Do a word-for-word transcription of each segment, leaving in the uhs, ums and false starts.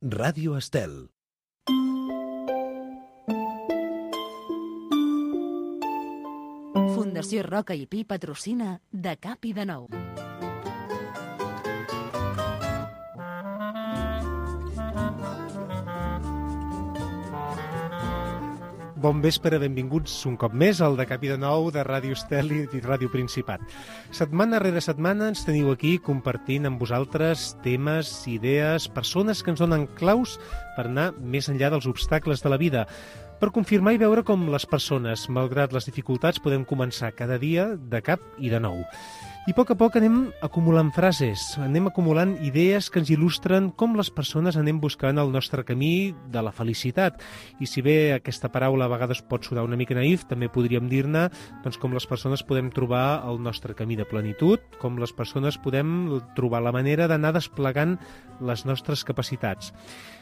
Ràdio Estel. Fundació Roca i Pi patrocina De Cap i de Nou. Bon vespre, benvinguts un cop més al De Cap i de Nou de Ràdio Estel i Ràdio Principat. Setmana rere setmana ens teniu aquí compartint amb vosaltres temes, idees, persones que ens donen claus per anar més enllà dels obstacles de la vida, per confirmar i veure com les persones, malgrat les dificultats, podem començar cada dia de cap i de nou. I a poc a poc anem acumulant frases, anem acumulant idees que ens il·lustren com les persones anem buscant el nostre camí de la felicitat. I si bé aquesta paraula a vegades pot sonar una mica naïf, també podríem dir-ne doncs, com les persones podem trobar el nostre camí de plenitud, com les persones podem trobar la manera d'anar desplegant les nostres capacitats.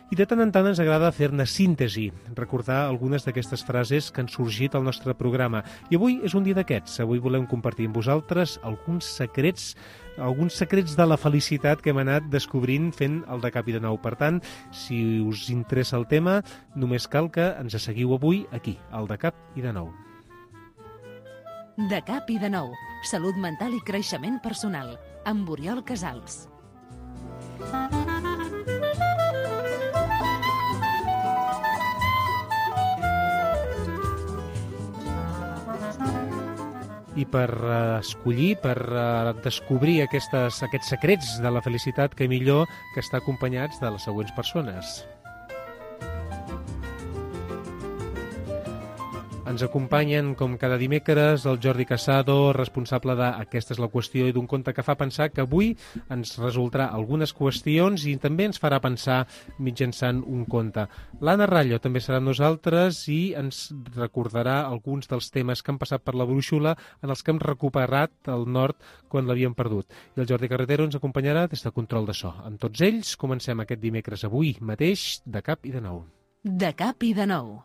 I de tant en tant ens agrada fer-ne síntesi, recordar algunes d'aquestes frases que han sorgit al nostre programa. I avui és un dia d'aquests. Avui volem compartir amb vosaltres alguns secrets, alguns secrets de la felicitat que hem anat descobrint fent el De Cap i de Nou. Per tant, si us interessa el tema, només cal que ens seguiu avui aquí, al De Cap i de Nou. De Cap i de Nou. Salut mental i creixement personal. Amb Oriol Casals. I per uh, escollir, per uh, descobrir aquestes, aquests secrets de la felicitat, que millor que estar acompanyats de les següents persones. Ens acompanyen, com cada dimecres, el Jordi Casado, responsable de Aquesta és la qüestió i d'un conte que fa pensar, que avui ens resultarà algunes qüestions i també ens farà pensar mitjançant un conte. L'Anna Rallo també serà amb nosaltres i ens recordarà alguns dels temes que han passat per la brúixola en els que hem recuperat el nord quan l'havíem perdut. I el Jordi Carretero ens acompanyarà des de control de so. Amb tots ells comencem aquest dimecres avui mateix De Cap i de Nou. De Cap i de Nou.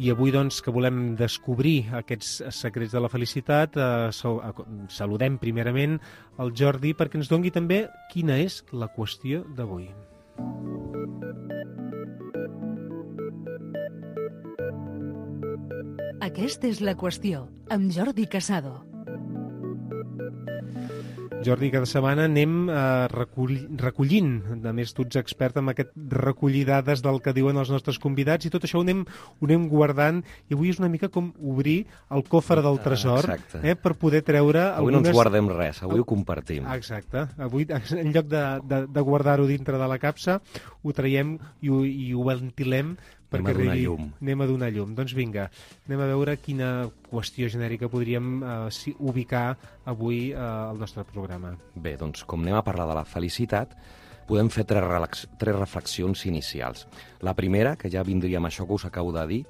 I avui, doncs, que volem descobrir aquests secrets de la felicitat, eh, saludem primerament el Jordi perquè ens doni també quina és la qüestió d'avui. Aquesta és la qüestió, amb Jordi Casado. Jordi, cada setmana anem eh, recull, recollint, a més tu ets expert en aquest recollir dades del que diuen els nostres convidats i tot això ho anem, ho anem guardant i avui és una mica com obrir el cofre del tresor eh, per poder treure avui algunes... no ens guardem res, avui ho compartim. Exacte, avui en lloc de, de, de guardar-ho dintre de la capsa ho traiem i ho, i ho ventilem perquè anem a donar arribi, llum. Anem a donar llum. Doncs vinga, anem a veure quina qüestió genèrica podríem eh, ubicar avui eh, al nostre programa. Bé, doncs com anem a parlar de la felicitat, podem fer tres, relax, tres reflexions inicials. La primera, que ja vindria amb això que us acabo de dir,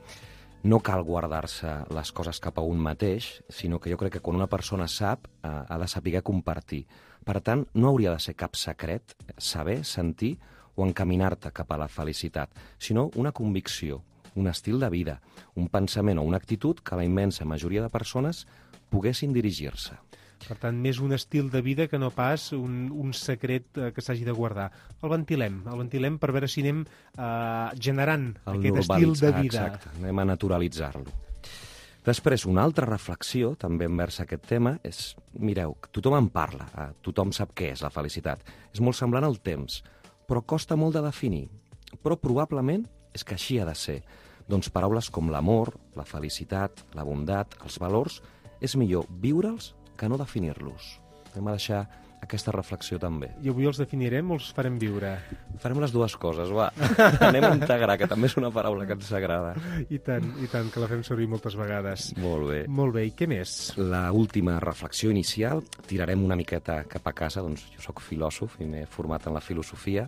no cal guardar-se les coses cap a un mateix, sinó que jo crec que quan una persona sap, eh, ha de saber compartir. Per tant, no hauria de ser cap secret saber, sentir o encaminar-te cap a la felicitat, sinó una convicció, un estil de vida, un pensament o una actitud que la immensa majoria de persones poguessin dirigir-se. Per tant, més un estil de vida que no pas un, un secret eh, que s'hagi de guardar. El ventilem, el ventilem per veure si anem eh, generant el aquest estil de vida. Exacte, anem a naturalitzar-lo. Després, una altra reflexió, també envers aquest tema, és, mireu, tothom en parla, eh, tothom sap què és la felicitat. És molt semblant al temps, però costa molt de definir. Però probablement és que així ha de ser. Doncs paraules com l'amor, la felicitat, la bondat, els valors, és millor viure'ls que no definir-los. Anem a deixar aquesta reflexió també. I avui els definirem o els farem viure? Farem les dues coses, va. Anem a integrar, que també és una paraula que ens agrada. I tant, i tant, que la fem servir moltes vegades. Molt bé. Molt bé, i què més? La última reflexió inicial, tirarem una miqueta cap a casa, doncs jo sóc filòsof i m'he format en la filosofia,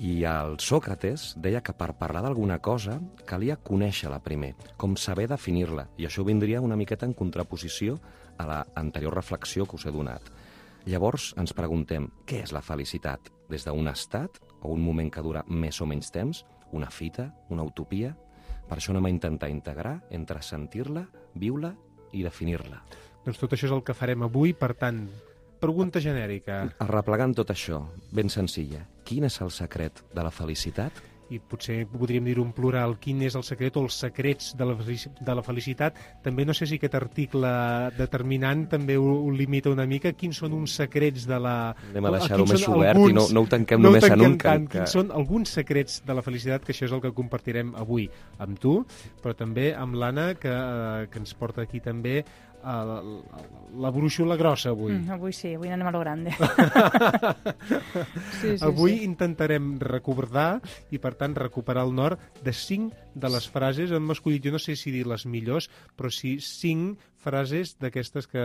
i el Sòcrates deia que per parlar d'alguna cosa calia conèixer-la primer, com saber definir-la, i això vindria una miqueta en contraposició a l'anterior reflexió que us he donat. Llavors ens preguntem, què és la felicitat? Des d'un estat o un moment que dura més o menys temps? Una fita? Una utopia? Per això anem a intentar integrar entre sentir-la, viure i definir-la. Doncs tot això és el que farem avui, per tant, pregunta genèrica. Arreplegant tot això, ben senzilla, quin és el secret de la felicitat? I potser podríem dir-ho en plural, quin és el secret o els secrets de la, de la felicitat. També no sé si aquest article determinant també ho, ho limita una mica. Quins són uns secrets de la... Anem a deixar-ho més obert alguns... i no, no ho tanquem no només ho tanquem en un. Tant. Que... Quins són alguns secrets de la felicitat, que això és el que compartirem avui amb tu, però també amb l'Anna, que, eh, que ens porta aquí també la, la brúixola grossa avui. Mm, avui sí, avui anem a lo grande. sí, sí, avui sí. intentarem recordar i, per tant, recuperar el nord de cinc de les frases. Hem escollit, jo no sé si dir les millors, però sí cinc frases d'aquestes que,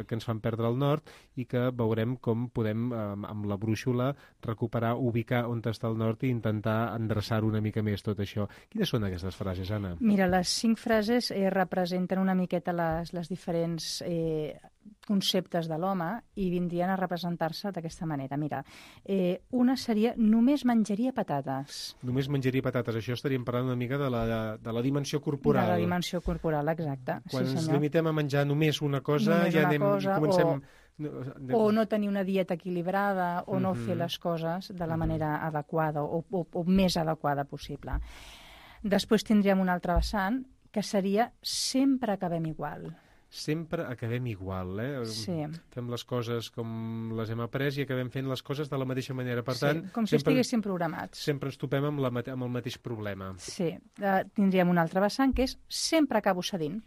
que ens fan perdre el nord i que veurem com podem, amb la brúixola, recuperar, ubicar on està el nord i intentar endreçar una mica més tot això. Quines són aquestes frases, Anna? Mira, les cinc frases eh, representen una miqueta les, les diferents eh, conceptes de l'home i vindrien a representar-se d'aquesta manera. Mira, eh, una seria només menjaria patates. Només menjaria patates. Això estaríem parlant una mica de la, de, de la dimensió corporal. De la dimensió corporal, exacte. Quan sí, ens senyor. limitem a menjar només una cosa, només ja una anem, cosa, comencem... O, o no tenir una dieta equilibrada, o no mm-hmm. fer les coses de la manera mm-hmm. adequada o, o, o més adequada possible. Després tindríem un altre vessant, que seria sempre acabem igual. Sempre acabem igual, eh? Sí. Fem les coses com les hem après i acabem fent les coses de la mateixa manera. Per sí, tant, com si sempre, estiguéssim programats. Sempre ens topem amb, la, amb el mateix problema. Sí. Uh, tindríem un altre vessant, que és sempre acabo cedint.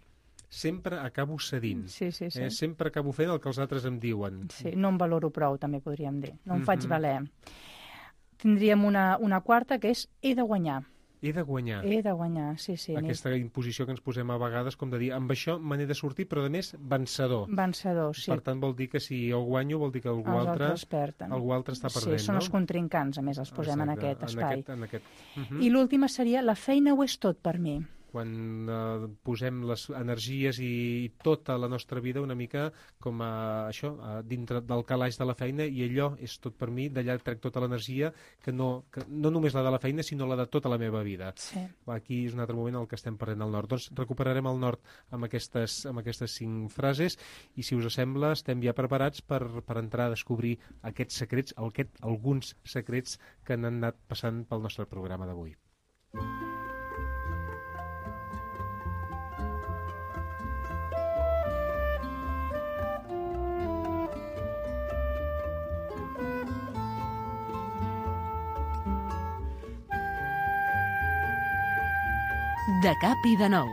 Sempre acabo cedint. Sí, sí, sí. Eh? Sempre acabo fent el que els altres em diuen. Sí, no em valoro prou, també podríem dir. No em Mm-hmm. faig valer. Tindríem una, una quarta, que és he de guanyar. He de guanyar. He de guanyar, sí, sí. Aquesta imposició que ens posem a vegades, com de dir, amb això me n'he de sortir, però a més, vencedor. Vencedor, sí. Per tant, vol dir que si jo guanyo, vol dir que algú els altre, perden. algú altre està perdent, sí, són no? els contrincants, a més, els posem Exacte, en aquest espai. En aquest, en aquest. Uh-huh. I l'última seria la feina ho és tot per mi. Quan eh, posem les energies i tota la nostra vida una mica com a això, a dintre del calaix de la feina, i allò és tot per mi, d'allà trec tota l'energia, que no, que no només la de la feina, sinó la de tota la meva vida. Sí. Aquí és un altre moment en el que estem perdent el nord. Doncs recuperarem el nord amb aquestes, amb aquestes cinc frases, i si us sembla estem ja preparats per, per entrar a descobrir aquests secrets, aquest, alguns secrets que han anat passant pel nostre programa d'avui. De cap i de nou.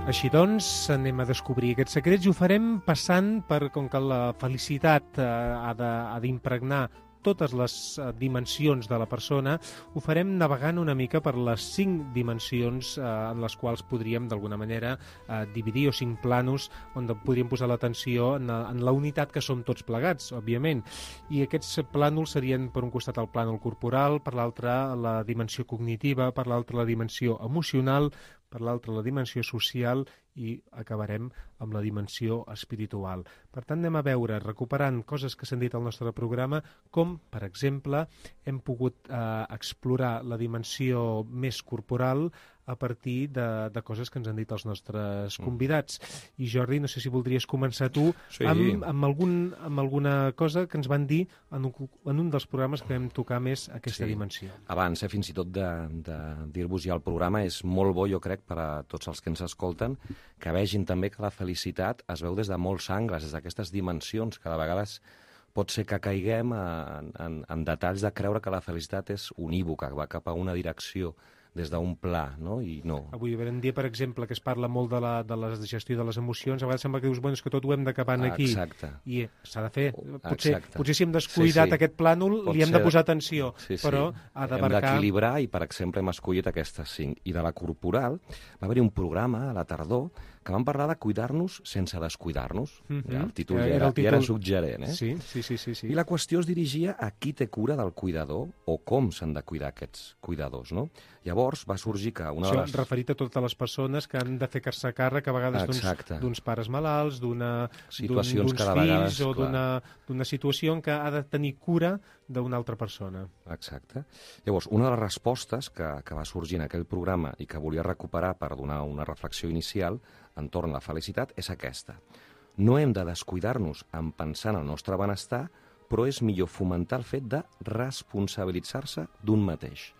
Així doncs, anem a descobrir aquests secrets i ho farem passant per, com que la felicitat eh, ha d'impregnar totes les dimensions de la persona, ho farem navegant una mica per les cinc dimensions eh, en les quals podríem, d'alguna manera, eh, dividir, o cinc planos on podríem posar l'atenció en, en la unitat que som tots plegats, òbviament. I aquests plànols serien, per un costat, el plànol corporal, per l'altre, la dimensió cognitiva, per l'altre, la dimensió emocional, per l'altre, la dimensió social, i acabarem amb la dimensió espiritual. Per tant, anem a veure, recuperant coses que s'han dit al nostre programa, com, per exemple, hem pogut eh, explorar la dimensió més corporal a partir de, de coses que ens han dit els nostres convidats. I Jordi, no sé si voldries començar tu sí. amb, amb, algun, amb alguna cosa que ens van dir en un, en un dels programes que vam tocar més aquesta sí. dimensió. Abans, eh, fins i tot de, de dir-vos ja el programa, és molt bo, jo crec, per a tots els que ens escolten, que vegin també que la felicitat es veu des de molts angles, des d'aquestes dimensions, que de vegades pot ser que caiguem en, en, en detalls de creure que la felicitat és unívoca, que va cap a una direcció des d'un pla, no? I no. Avui vam dir, per exemple, que es parla molt de la, de la gestió de les emocions. A vegades sembla que dius, bueno, és que tot ho hem d'acabar aquí. Exacte. I s'ha de fer. Potser, Exacte. potser si hem descuidat sí, sí. aquest plànol, pot li hem de posar atenció, sí, sí. però ha d'abarcar... Hem d'equilibrar i, per exemple, hem escollit aquestes cinc. I de la corporal va haver-hi un programa a la tardor que vam parlar de cuidar-nos sense descuidar-nos. Mm-hmm. Ja, el títol ja, era, era, el títol... ja era suggerent, eh? Sí, sí, sí, sí, sí. I la qüestió es dirigia a qui té cura del cuidador o com s'han de cuidar aquests cuidadors, no? Llavors, llavors va sorgir que una Això de les... referit a totes les persones que han de fer-se càrrec a vegades d'uns pares malalts, d'uns fills vegades, o d'una situació en què ha de tenir cura d'una altra persona. Exacte. Llavors, una de les respostes que, que va sorgir en aquell programa i que volia recuperar per donar una reflexió inicial entorn a la felicitat és aquesta. No hem de descuidar-nos en pensar en el nostre benestar, però és millor fomentar el fet de responsabilitzar-se d'un mateix.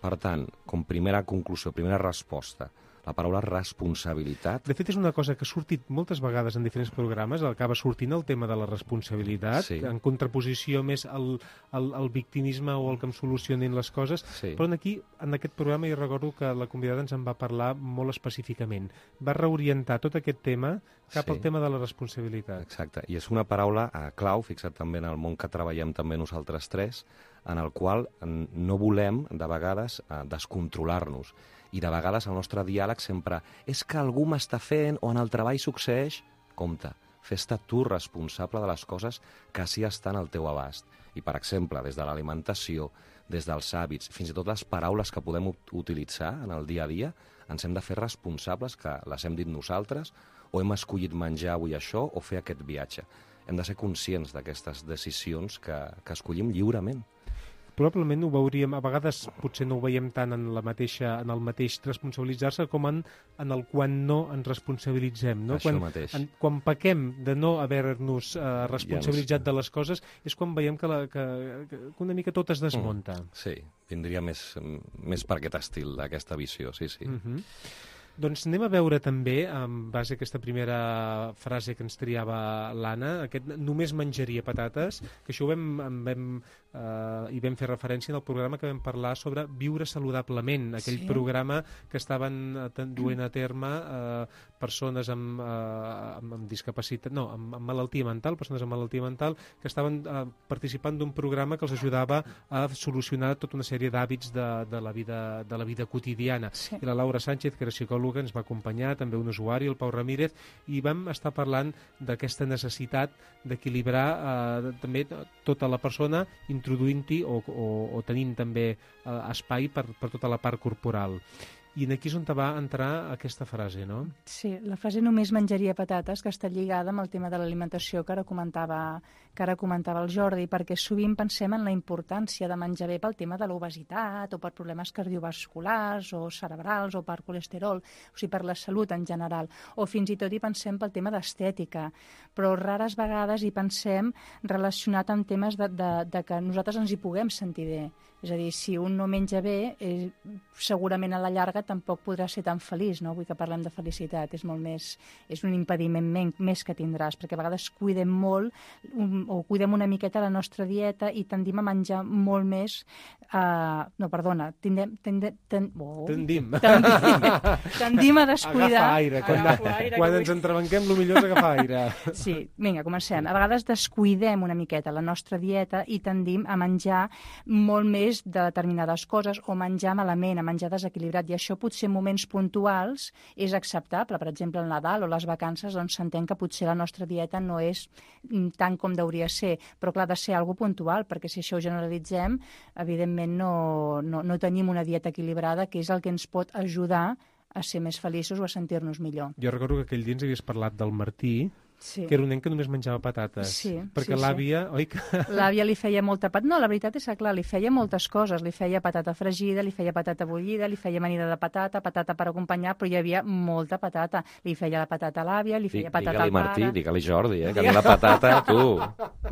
Per tant, com primera conclusió, primera resposta, la paraula responsabilitat... De fet, és una cosa que ha sortit moltes vegades en diferents programes, acaba sortint el tema de la responsabilitat, sí. En contraposició més al, al, al victimisme o al que em solucionin les coses, sí. Però aquí, en aquest programa, jo recordo que la convidada ens en va parlar molt específicament. Va reorientar tot aquest tema cap sí. Al tema de la responsabilitat. Exacte, i és una paraula eh, clau, fixa't també en el món que treballem també nosaltres tres, en el qual no volem, de vegades, eh, descontrolar-nos. I de vegades el nostre diàleg sempre és que algú m'està fent o en el treball succeeix. Compte, fes-te tu responsable de les coses que sí estan al teu abast. I, per exemple, des de l'alimentació, des dels hàbits, fins i tot les paraules que podem utilitzar en el dia a dia, ens hem de fer responsables que les hem dit nosaltres o hem escollit menjar avui això o fer aquest viatge. Hem de ser conscients d'aquestes decisions que, que escollim lliurement. Probablement ho veuríem, a vegades potser no ho veiem tant en, la mateixa, en el mateix responsabilitzar-se com en, en el quan no ens responsabilitzem. No? Això quan, mateix. En, quan pequem de no haver-nos eh, responsabilitzat de les coses és quan veiem que, la, que, que una mica tot es desmunta. Mm, sí, vindria més, més per aquest estil, aquesta visió, sí, sí. Mm-hmm. Doncs anem a veure també, en base a aquesta primera frase que ens triava l'Anna, aquest només menjaria patates, que això ho vam, vam, eh, hi vam fer referència en el programa que vam parlar sobre viure saludablement, aquell sí. programa que estaven duent a terme eh, persones amb, eh, amb, amb discapacitat, no, amb, amb malaltia mental, persones amb malaltia mental, que estaven eh, participant d'un programa que els ajudava a solucionar tota una sèrie d'hàbits de, de, la vida, de la vida quotidiana. Sí. I la Laura Sánchez, que era psicòloga, ens va acompanyar, també un usuari, el Pau Ramírez, i vam estar parlant d'aquesta necessitat d'equilibrar eh, també tota la persona, introduint-hi o, o, o tenint també eh, espai per, per tota la part corporal. I aquí és on va entrar aquesta frase, no? Sí, la frase només menjaria patates, que està lligada amb el tema de l'alimentació que ara comentava, que ara comentava el Jordi, perquè sovint pensem en la importància de menjar bé pel tema de l'obesitat o per problemes cardiovasculars o cerebrals o per colesterol, o sigui, per la salut en general, o fins i tot hi pensem pel tema d'estètica, però rares vegades hi pensem relacionat amb temes de, de, de que nosaltres ens hi puguem sentir bé. És a dir, si un no menja bé, eh, segurament a la llarga tampoc podrà ser tan feliç, no? Vull que parlem de felicitat, és molt més, és un impediment men, més que tindràs, perquè a vegades cuidem molt un, o cuidem una miqueta la nostra dieta i tendim a menjar molt més, eh, no, perdona, tindem, tendem, ten, oh, tendim. tendim, tendim a descuidar. Agafar aire, quan, agafar aire, quan ens entrebanquem, el millor és agafar aire. Sí, vinga, comencem. A vegades descuidem una miqueta la nostra dieta i tendim a menjar molt més de determinades coses o menjar malament, a menjar desequilibrat, i això potser en moments puntuals és acceptable. Per exemple, el Nadal o les vacances, doncs s'entén que potser la nostra dieta no és tant com hauria de ser, però clar, ha de ser algo puntual, perquè si això ho generalitzem, evidentment no, no, no tenim una dieta equilibrada, que és el que ens pot ajudar a ser més feliços o a sentir-nos millor. Jo recordo que aquell dia ens havies parlat del Martí, sí. Que era un nen que només menjava patates. Sí, perquè sí, l'àvia, sí. oi que... L'àvia li feia molta patata. No, la veritat és que, clar, li feia moltes coses. Li feia patata fregida, li feia patata bullida, li feia amanida de patata, patata per acompanyar, però hi havia molta patata. Li feia la patata a l'àvia, li feia patata al pare... Digue-li Martí, digue-li Jordi, eh? Que a mi la patata, tu,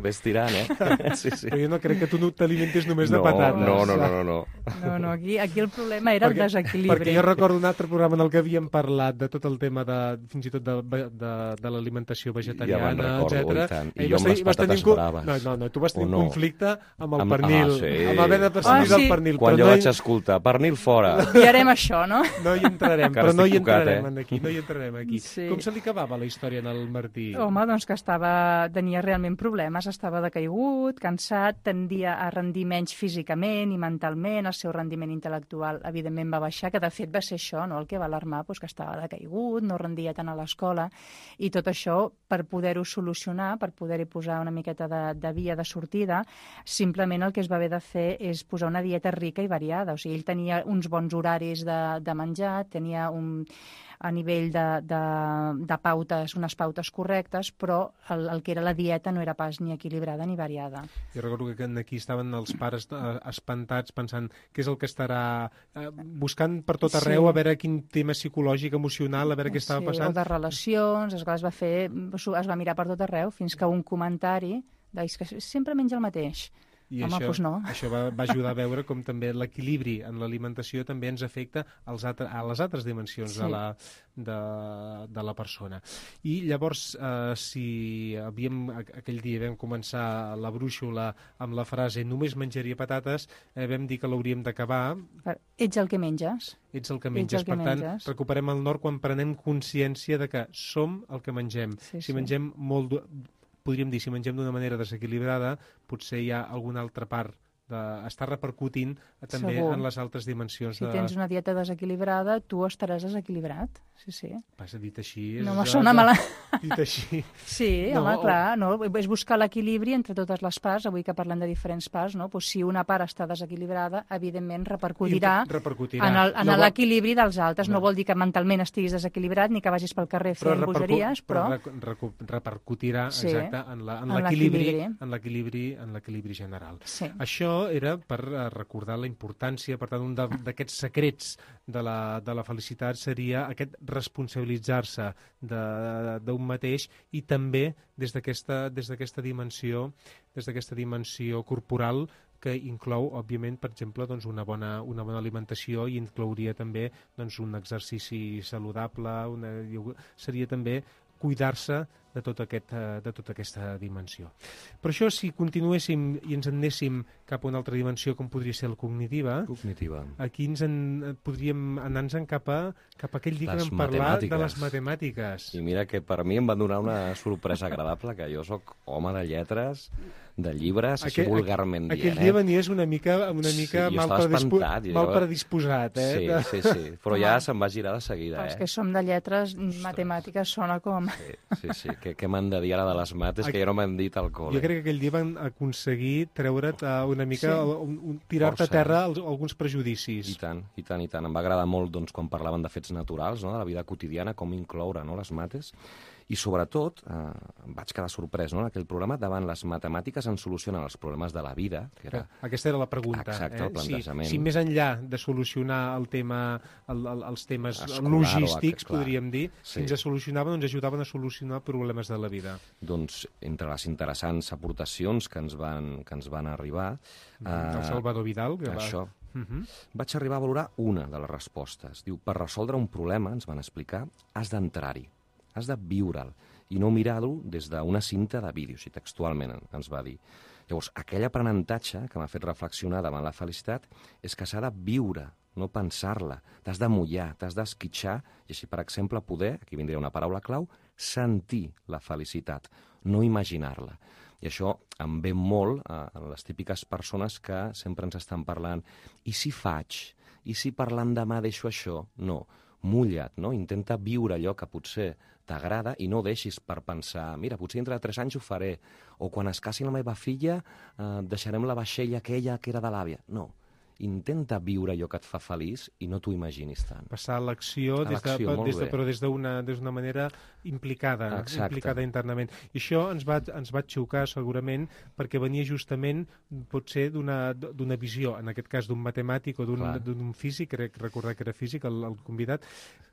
ves tirant, eh? Sí, sí. Però jo no crec que tu no t'alimentis només no, de patates. No, no, no, no. No, no, no aquí, aquí el problema era perquè, el desequilibri. Perquè jo recordo un altre programa en el que havíem parlat de tot el tema de, fins i tot de, de, de l'alimentació vegetariana, ja etcètera. I, I jo amb les patates tenir... braves. No, no, no, tu vas tenir no? un conflicte amb el amb, pernil, ah, sí. amb haver de prescindir oh, sí. del pernil. Quan però jo no vaig hi... escoltar, pernil fora. I harem això, no? No hi entrarem, però no hi tocat, entrarem eh? aquí, no hi entrarem aquí. Sí. Com se li acabava la història en el Martí? Home, doncs que estava, tenia realment problemes, estava decaigut, cansat, tendia a rendir menys físicament i mentalment, el seu rendiment intel·lectual evidentment va baixar, que de fet va ser això, no? El que va alarmar, doncs, que estava decaigut, no rendia tant a l'escola, i tot això per poder-ho solucionar, per poder-hi posar una miqueta de, de via de sortida, simplement el que es va haver de fer és posar una dieta rica i variada. O sigui, ell tenia uns bons horaris de, de menjar, tenia un, a nivell de, de, de pautes, unes pautes correctes, però el, el que era la dieta no era pas ni equilibrada ni variada. Jo recordo que aquí estaven els pares espantats pensant què és el que estarà eh, buscant per tot arreu, sí, a veure quin tema psicològic, emocional, a veure què estava sí, passant. O de relacions, es va, es va fer, es va mirar per tot arreu, fins que un comentari deia que sempre menja el mateix. I Home, això, doncs no. això va, va ajudar a veure com també l'equilibri en l'alimentació també ens afecta als altre, a les altres dimensions, sí, de, la, de, de la persona. I llavors, eh, si havíem, aquell dia vam començar la brúixola amb la frase només menjaria patates, eh, vam dir que l'hauríem d'acabar. Ets el que menges. Ets el que menges. El que per menges. Tant, recuperem el nord quan prenem consciència de que som el que mengem. Sí, si sí. mengem molt... podríem dir, si mengem d'una manera desequilibrada, potser hi ha alguna altra part d'estar repercutint també Segur. En les altres dimensions. Si de... tens una dieta desequilibrada, tu estaràs desequilibrat. Sí, sí. Passa, dit així... És no me sona mala... Dit així... Sí, no, home, o... clar, no? És buscar l'equilibri entre totes les parts, avui que parlem de diferents parts, no? Pues si una part està desequilibrada, evidentment repercutirà, repercutirà. en l'equilibri dels altres. No. no vol dir que mentalment estiguis desequilibrat ni que vagis pel carrer fent però bogeries, però... Però repercutirà, sí, exacte, en l'equilibri en l'equilibri general. Sí. Això era per recordar la importància, per tant, un d'aquests secrets de la, de la felicitat seria aquest responsabilitzar-se d'un mateix i també des d'aquesta des d'aquesta dimensió, des d'aquesta dimensió corporal que inclou, òbviament, per exemple, doncs una, bona, una bona alimentació i inclouria també doncs, un exercici saludable, una, seria també cuidar-se de, tot aquest, de tota aquesta dimensió. Per això, si continuéssim i ens anéssim cap a una altra dimensió, com podria ser la cognitiva, cognitiva. Aquí ens en, podríem anar-nos cap, a, cap a aquell dia que vam parlar de les matemàtiques. I mira que per mi em va donar una sorpresa agradable, que jo sóc home de lletres, de llibres, així aquell, vulgarment dient. Aquell dia venies una mica, una mica sí, mal, predispo espantat, mal predisposat, eh? Sí, sí, sí, però ja se'm va girar de seguida, eh? Els que som de lletres, matemàtiques sona com... Sí, sí, sí. Què, què m'han de dir ara de les mates, que ja no m'han dit al col·le. Jo crec que aquell dia van aconseguir treure't una mica, sí, tirar-te a terra alguns prejudicis. I tant, i tant, i tant. Em va agradar molt doncs, quan parlaven de fets naturals, no? De la vida quotidiana, com incloure, no? Les mates. I sobretot, eh, em vaig quedar sorprès, no? En aquell programa, davant les matemàtiques en solucionen els problemes de la vida. Que era... Aquesta era la pregunta. Exacte, eh? el plantejament. Si, si més enllà de solucionar el tema, el, el, els temes escolar, logístics, o, podríem dir, sí, si ens solucionaven, ens ajudaven a solucionar problemes de la vida. Doncs, entre les interessants aportacions que ens van, que ens van arribar... Eh, el Salvador Vidal, que això, va... Uh -huh. Vaig arribar a valorar una de les respostes. Diu, per resoldre un problema, ens van explicar, has d'entrar-hi. Has de viure'l i no mirar-lo des d'una cinta de vídeo, si textualment ens va dir. Llavors, aquell aprenentatge que m'ha fet reflexionar davant la felicitat és que s'ha de viure, no pensar-la. T'has de mullar, t'has d'esquitxar i així, per exemple, poder, aquí vindria una paraula clau, sentir la felicitat, no imaginar-la. I això em ve molt a les típiques persones que sempre ens estan parlant i si faig? I si parlant demà deixo això? No. Mulla't, no? Intenta viure allò que potser t'agrada i no deixis per pensar, mira, potser dintre de tres anys ho faré, o quan es casi la meva filla eh, deixarem la vaixella aquella que era de l'àvia. No, intenta viure allò que et fa feliç i no t'ho imaginis tant. Passar a l'acció, des de, des de, però des d'una des d'una manera implicada, Exacte. implicada internament. I això ens va, ens va xocar segurament perquè venia justament potser d'una d'una visió, en aquest cas d'un matemàtic o d'un físic, crec recordar que era físic, el, el convidat,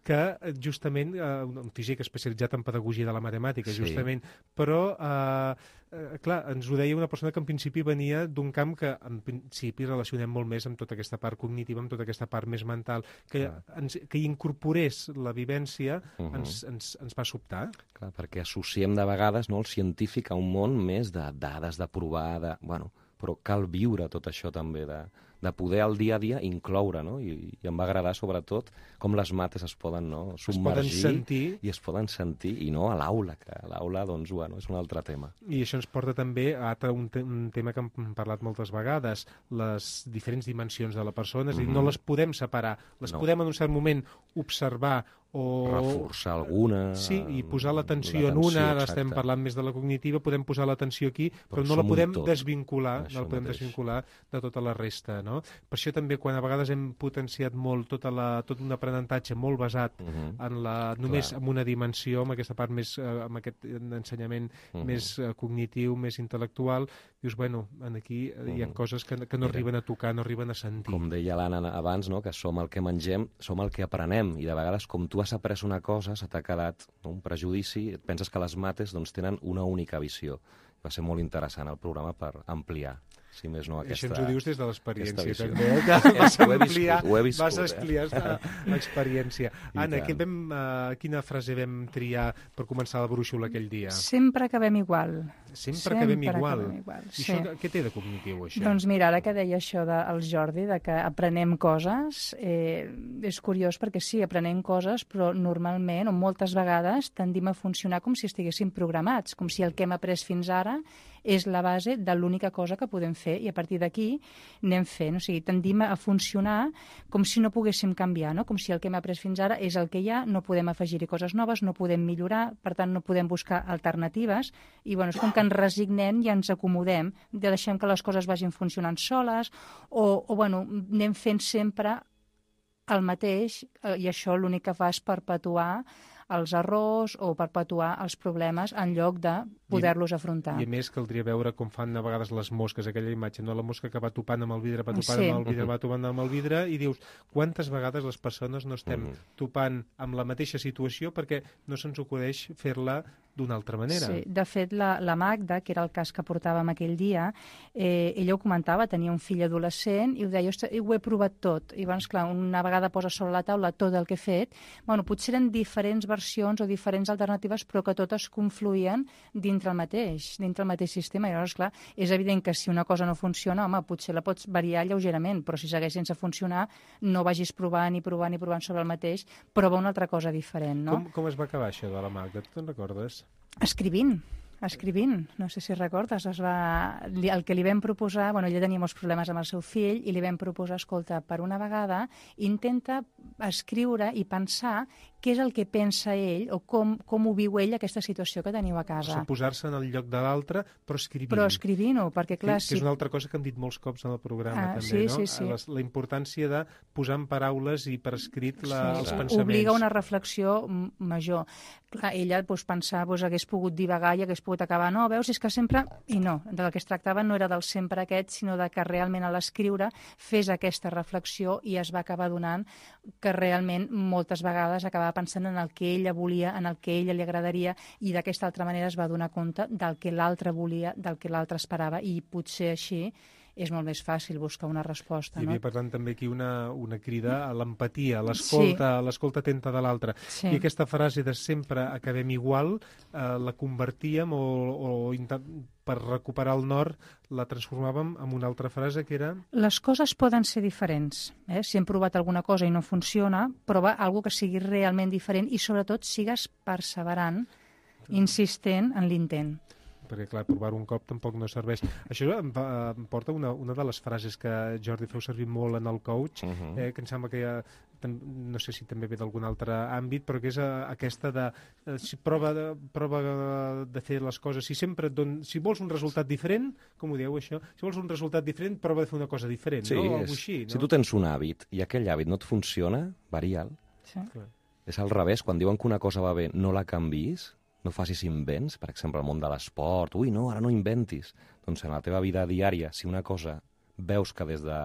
que justament, eh, un físic especialitzat en pedagogia de la matemàtica, sí, justament, però eh, eh, clar, ens ho deia una persona que en principi venia d'un camp que en principi relacionem molt més amb tota aquesta part cognitiva, amb tota aquesta part més mental, que, ens, que incorporés la vivència uh -huh. ens, ens, ens va sobtar. Clar, perquè associem de vegades, no, el científic a un món més de dades, de provar, de... Bueno, però cal viure tot això també, de, de poder al dia a dia incloure, no? I, i em va agradar sobretot com les mates es poden, no, submergir es poden sentir. i es poden sentir, i no a l'aula, que a l'aula, doncs, bueno, és un altre tema. I això ens porta també a un, te un tema que hem parlat moltes vegades, les diferents dimensions de la persona, és a dir, mm-hmm. no les podem separar, les no. podem en un cert moment observar o... reforçar alguna... Sí, i posar l'atenció en una, ara estem parlant més de la cognitiva, podem posar l'atenció aquí, però, però no la podem desvincular, no la podem mateix. desvincular de tota la resta, no? Per això també, quan a vegades hem potenciat molt tota la, tot un aprenentatge molt basat uh -huh. en la, només Clar. en una dimensió, amb aquesta part més, eh, amb aquest ensenyament uh -huh. més eh, cognitiu, més intel·lectual, dius, bueno, aquí uh -huh. hi ha coses que, que no Mira, arriben a tocar, no arriben a sentir. Com deia l'Anna abans, no? Que som el que mengem, som el que aprenem, i de vegades, com tu has après una cosa, se t'ha quedat no? un prejudici, et penses que les mates doncs, tenen una única visió. Va ser molt interessant el programa per ampliar, si més no, aquesta... Això ens ho dius des de l'experiència, també, eh? que vas ho he ampliar, viscut, ho he viscut, vas ampliar eh? l'experiència. Anna, que vam, uh, quina frase vam triar per començar la brúixola aquell dia? Sempre acabem igual. Sempre, Sempre acabem igual. Acabem igual. I sí. això, què té de cognitiu, això? Doncs mira, ara que deia això del Jordi, de que aprenem coses, eh, és curiós perquè sí, aprenem coses, però normalment, o moltes vegades, tendim a funcionar com si estiguéssim programats, com si el que hem après fins ara és la base de l'única cosa que podem fer, i a partir d'aquí anem fent. O sigui, tendim a funcionar com si no poguéssim canviar, no? Com si el que hem après fins ara és el que hi ha, no podem afegir-hi coses noves, no podem millorar, per tant no podem buscar alternatives, i bueno, és com que ens resignem i ens acomodem, de deixem que les coses vagin funcionant soles, o, o bueno, anem fent sempre el mateix, i això l'únic que fa és perpetuar els errors o perpetuar els problemes en lloc de poder-los afrontar. I a més caldria veure com fan a vegades les mosques, aquella imatge, no? La mosca que va topant amb el vidre, va topant sí. amb el vidre, va topant amb el vidre, i dius, quantes vegades les persones no estem mm. topant amb la mateixa situació perquè no se'ns acudeix fer-la d'una altra manera. Sí, de fet, la, la Magda, que era el cas que portàvem aquell dia, eh, ella ho comentava, tenia un fill adolescent i ho deia, ostres, ho he provat tot. I llavors, clar, una vegada posa sobre la taula tot el que he fet, bueno, potser eren diferents versions o diferents alternatives, però que totes confluïen dintre el mateix, dintre el mateix sistema. I llavors, clar, és evident que si una cosa no funciona, home, potser la pots variar lleugerament, però si segueix sense funcionar, no vagis provant i provant i provant sobre el mateix, prova una altra cosa diferent, no? Com, com es va acabar això de la Magda? Tu te'n recordes? Escrivint, escrivint. No sé si recordes, es va... el que li vam proposar, bueno, ella tenia molts problemes amb el seu fill, i li vam proposar, escolta, per una vegada, intenta escriure i pensar què és el que pensa ell o com, com ho viu ell aquesta situació que teniu a casa. O sigui, posar-se en el lloc de l'altre, però escrivint. Però escrivint-ho, perquè clar... Que, si... que és una altra cosa que hem dit molts cops en el programa, ah, també, sí, no? Sí, sí. La, la importància de posar en paraules i per escrit la, sí, els sí. pensaments. Obliga una reflexió major. Clar, ella doncs, pensava, doncs, hagués pogut divagar i hagués pogut acabar, no, veus, és que sempre... I no, del que es tractava no era del sempre aquest, sinó de que realment a l'escriure fes aquesta reflexió i es va acabar donant que realment moltes vegades acabava pensant en el que ella volia, en el que a ella li agradaria, i d'aquesta altra manera es va donar compte del que l'altre volia, del que l'altre esperava, i potser així és molt més fàcil buscar una resposta. Hi havia, no? per tant, també aquí una, una crida a l'empatia, a l'escolta, sí. l'escolta atenta de l'altre. Sí. I aquesta frase de sempre acabem igual, eh, la convertíem o, o per recuperar el nord la transformàvem en una altra frase que era... Les coses poden ser diferents. Eh? Si hem provat alguna cosa i no funciona, prova alguna que sigui realment diferent i, sobretot, sigues perseverant, insistent en l'intent. Perquè, clar, provar-ho un cop tampoc no serveix. Això em, va, em porta una, una de les frases que Jordi feu servir molt en el coach, uh -huh. eh, que em sembla que ja, no sé si també ve d'algun altre àmbit, però que és a, aquesta de eh, si prova, de prova de fer les coses. Si sempre don, si vols un resultat diferent, com ho dieu això? Si vols un resultat diferent, prova de fer una cosa diferent, sí, no? O és, així, no? Si tu tens un hàbit i aquell hàbit no et funciona, varia'l. Sí. És al revés, quan diuen que una cosa va bé, no la canviïs, no facis invents, per exemple, al món de l'esport. Ui, no, ara no inventis. Doncs en la teva vida diària, si una cosa veus que des de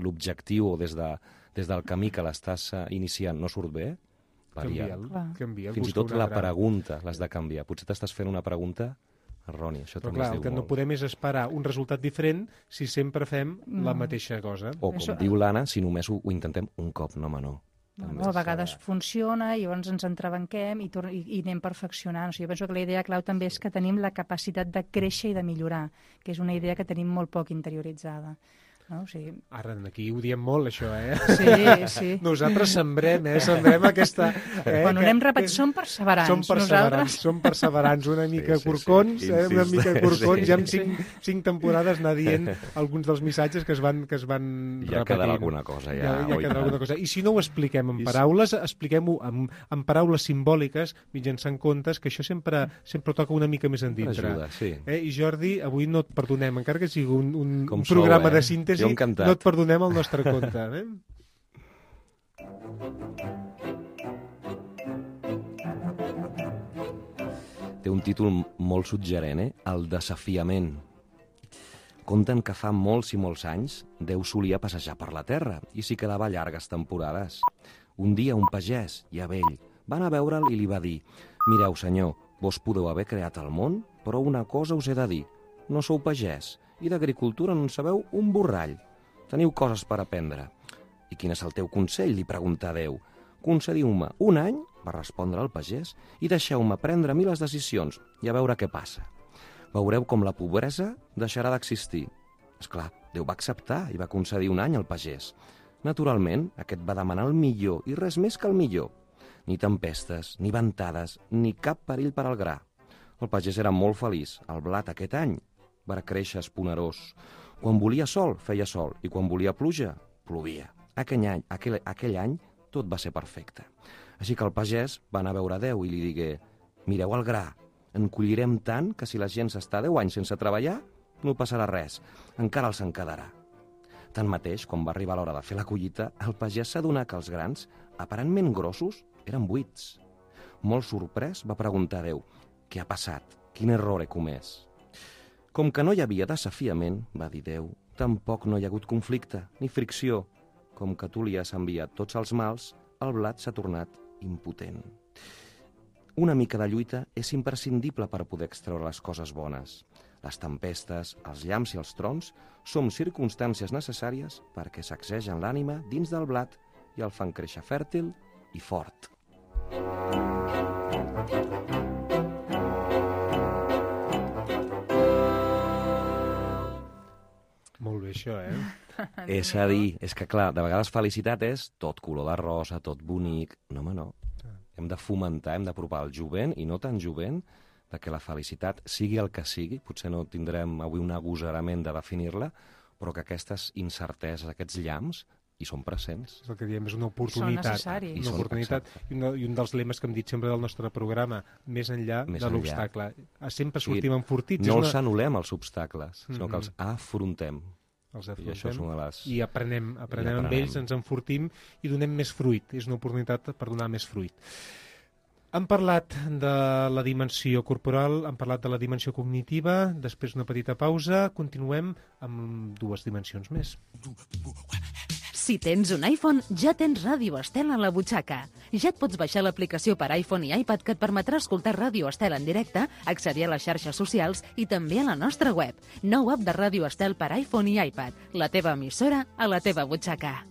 l'objectiu o des, de, des del camí que l'estàs iniciant no surt bé, varia'l. Canvia'l. Fins i tot la pregunta l'has de canviar. Potser t'estàs fent una pregunta errònia. Això però també clar, es diu el que molt. no podem és esperar un resultat diferent si sempre fem mm. la mateixa cosa. O, com Això... diu l'Anna, si només ho, ho intentem un cop, no, home, no. No, a vegades funciona i llavors ens entrebanquem i, i, i anem perfeccionant. O sigui, jo penso que la idea clau també és que tenim la capacitat de créixer i de millorar, que és una idea que tenim molt poc interioritzada. No? O sigui... Ara, aquí ho diem molt, això, eh? Sí, sí. Nosaltres sembrem, eh? Sembrem aquesta... Eh? Quan ho anem repetint, som perseverants. Som perseverants, nosaltres... som perseverants, una mica sí, sí, corcons, sí. eh? Una mica corcons, sí, ja amb sí. cinc, cinc temporades anar dient alguns dels missatges que es van, que es van Ja repetint. quedarà alguna cosa, ja. Ja, ja oi, quedarà tant. alguna cosa. I si no ho expliquem en I paraules, expliquem-ho amb, amb paraules simbòliques, mitjançant contes, que això sempre, sempre toca una mica més endintre. Ajuda, sí. Eh? I Jordi, avui no et perdonem, encara que sigui un, un, Com un programa sou, eh? de síntesi, Jo encantat. no et perdonem el nostre conte. Eh? Té un títol molt suggerent, eh? El desafiament. Conten que fa molts i molts anys Déu solia passejar per la terra i s'hi quedava llargues temporades. Un dia un pagès, ja vell, va anar a veure'l i li va dir: «Mireu, senyor, vos podeu haver creat el món, però una cosa us he de dir. No sou pagès i d'agricultura no en sabeu un borrall. Teniu coses per aprendre. I quin és el teu consell?», li pregunta Déu. «Concediu-me un any», va respondre el pagès, «i deixeu-me prendre a mi les decisions i a veure què passa. Veureu com la pobresa deixarà d'existir». Esclar, Déu va acceptar i va concedir un any al pagès. Naturalment, aquest va demanar el millor i res més que el millor. Ni tempestes, ni ventades, ni cap perill per al gra. El pagès era molt feliç. El blat aquest any va créixer esponerós. Quan volia sol, feia sol, i quan volia pluja, plovia. Aquell any, aquell, aquell any tot va ser perfecte. Així que el pagès va anar a veure Déu i li digué: «Mireu el gra, en collirem tant que si la gent s'està deu anys sense treballar, no passarà res, encara els en quedarà». Tanmateix, quan va arribar l'hora de fer la collita, el pagès s'adonà que els grans, aparentment grossos, eren buits. Molt sorprès, va preguntar a Déu: «Què ha passat? Quin error he comès?» «Com que no hi havia desafiament», va dir Déu, «tampoc no hi ha hagut conflicte, ni fricció. Com que tu li has enviat tots els mals, el blat s'ha tornat impotent. Una mica de lluita és imprescindible per poder extreure les coses bones. Les tempestes, els llamps i els trons són circumstàncies necessàries perquè sacsegen l'ànima dins del blat i el fan créixer fèrtil i fort». Molt bé, això, eh? És a dir, és que clar, de vegades felicitat és tot color de rosa, tot bonic. No, home, no. Hem de fomentar, hem d'apropar el jovent, i no tan jovent, de que la felicitat sigui el que sigui. Potser no tindrem avui un agosarament de definir-la, però que aquestes incerteses, aquests llamps, hi són presents. És el que diem, és una oportunitat. Són necessaris. Una I són, oportunitat. I, una, I un dels lemes que hem dit sempre del nostre programa, més enllà Més de enllà. l'obstacle. Sempre O sigui, sortim enfortits. No és els una... anul·lem, els obstacles, sinó Mhm. que els afrontem. Els I això és afrontem una de les... i aprenem, aprenem I amb aprenem. ells, ens enfortim i donem més fruit. És una oportunitat per donar més fruit. Hem parlat de la dimensió corporal, hem parlat de la dimensió cognitiva, després una petita pausa, continuem amb dues dimensions més. Si tens un iPhone, ja tens Ràdio Estel a la butxaca. Ja et pots baixar l'aplicació per iPhone i iPad que et permetrà escoltar Ràdio Estel en directe, accedir a les xarxes socials i també a la nostra web. Nou app de Ràdio Estel per iPhone i iPad. La teva emissora a la teva butxaca.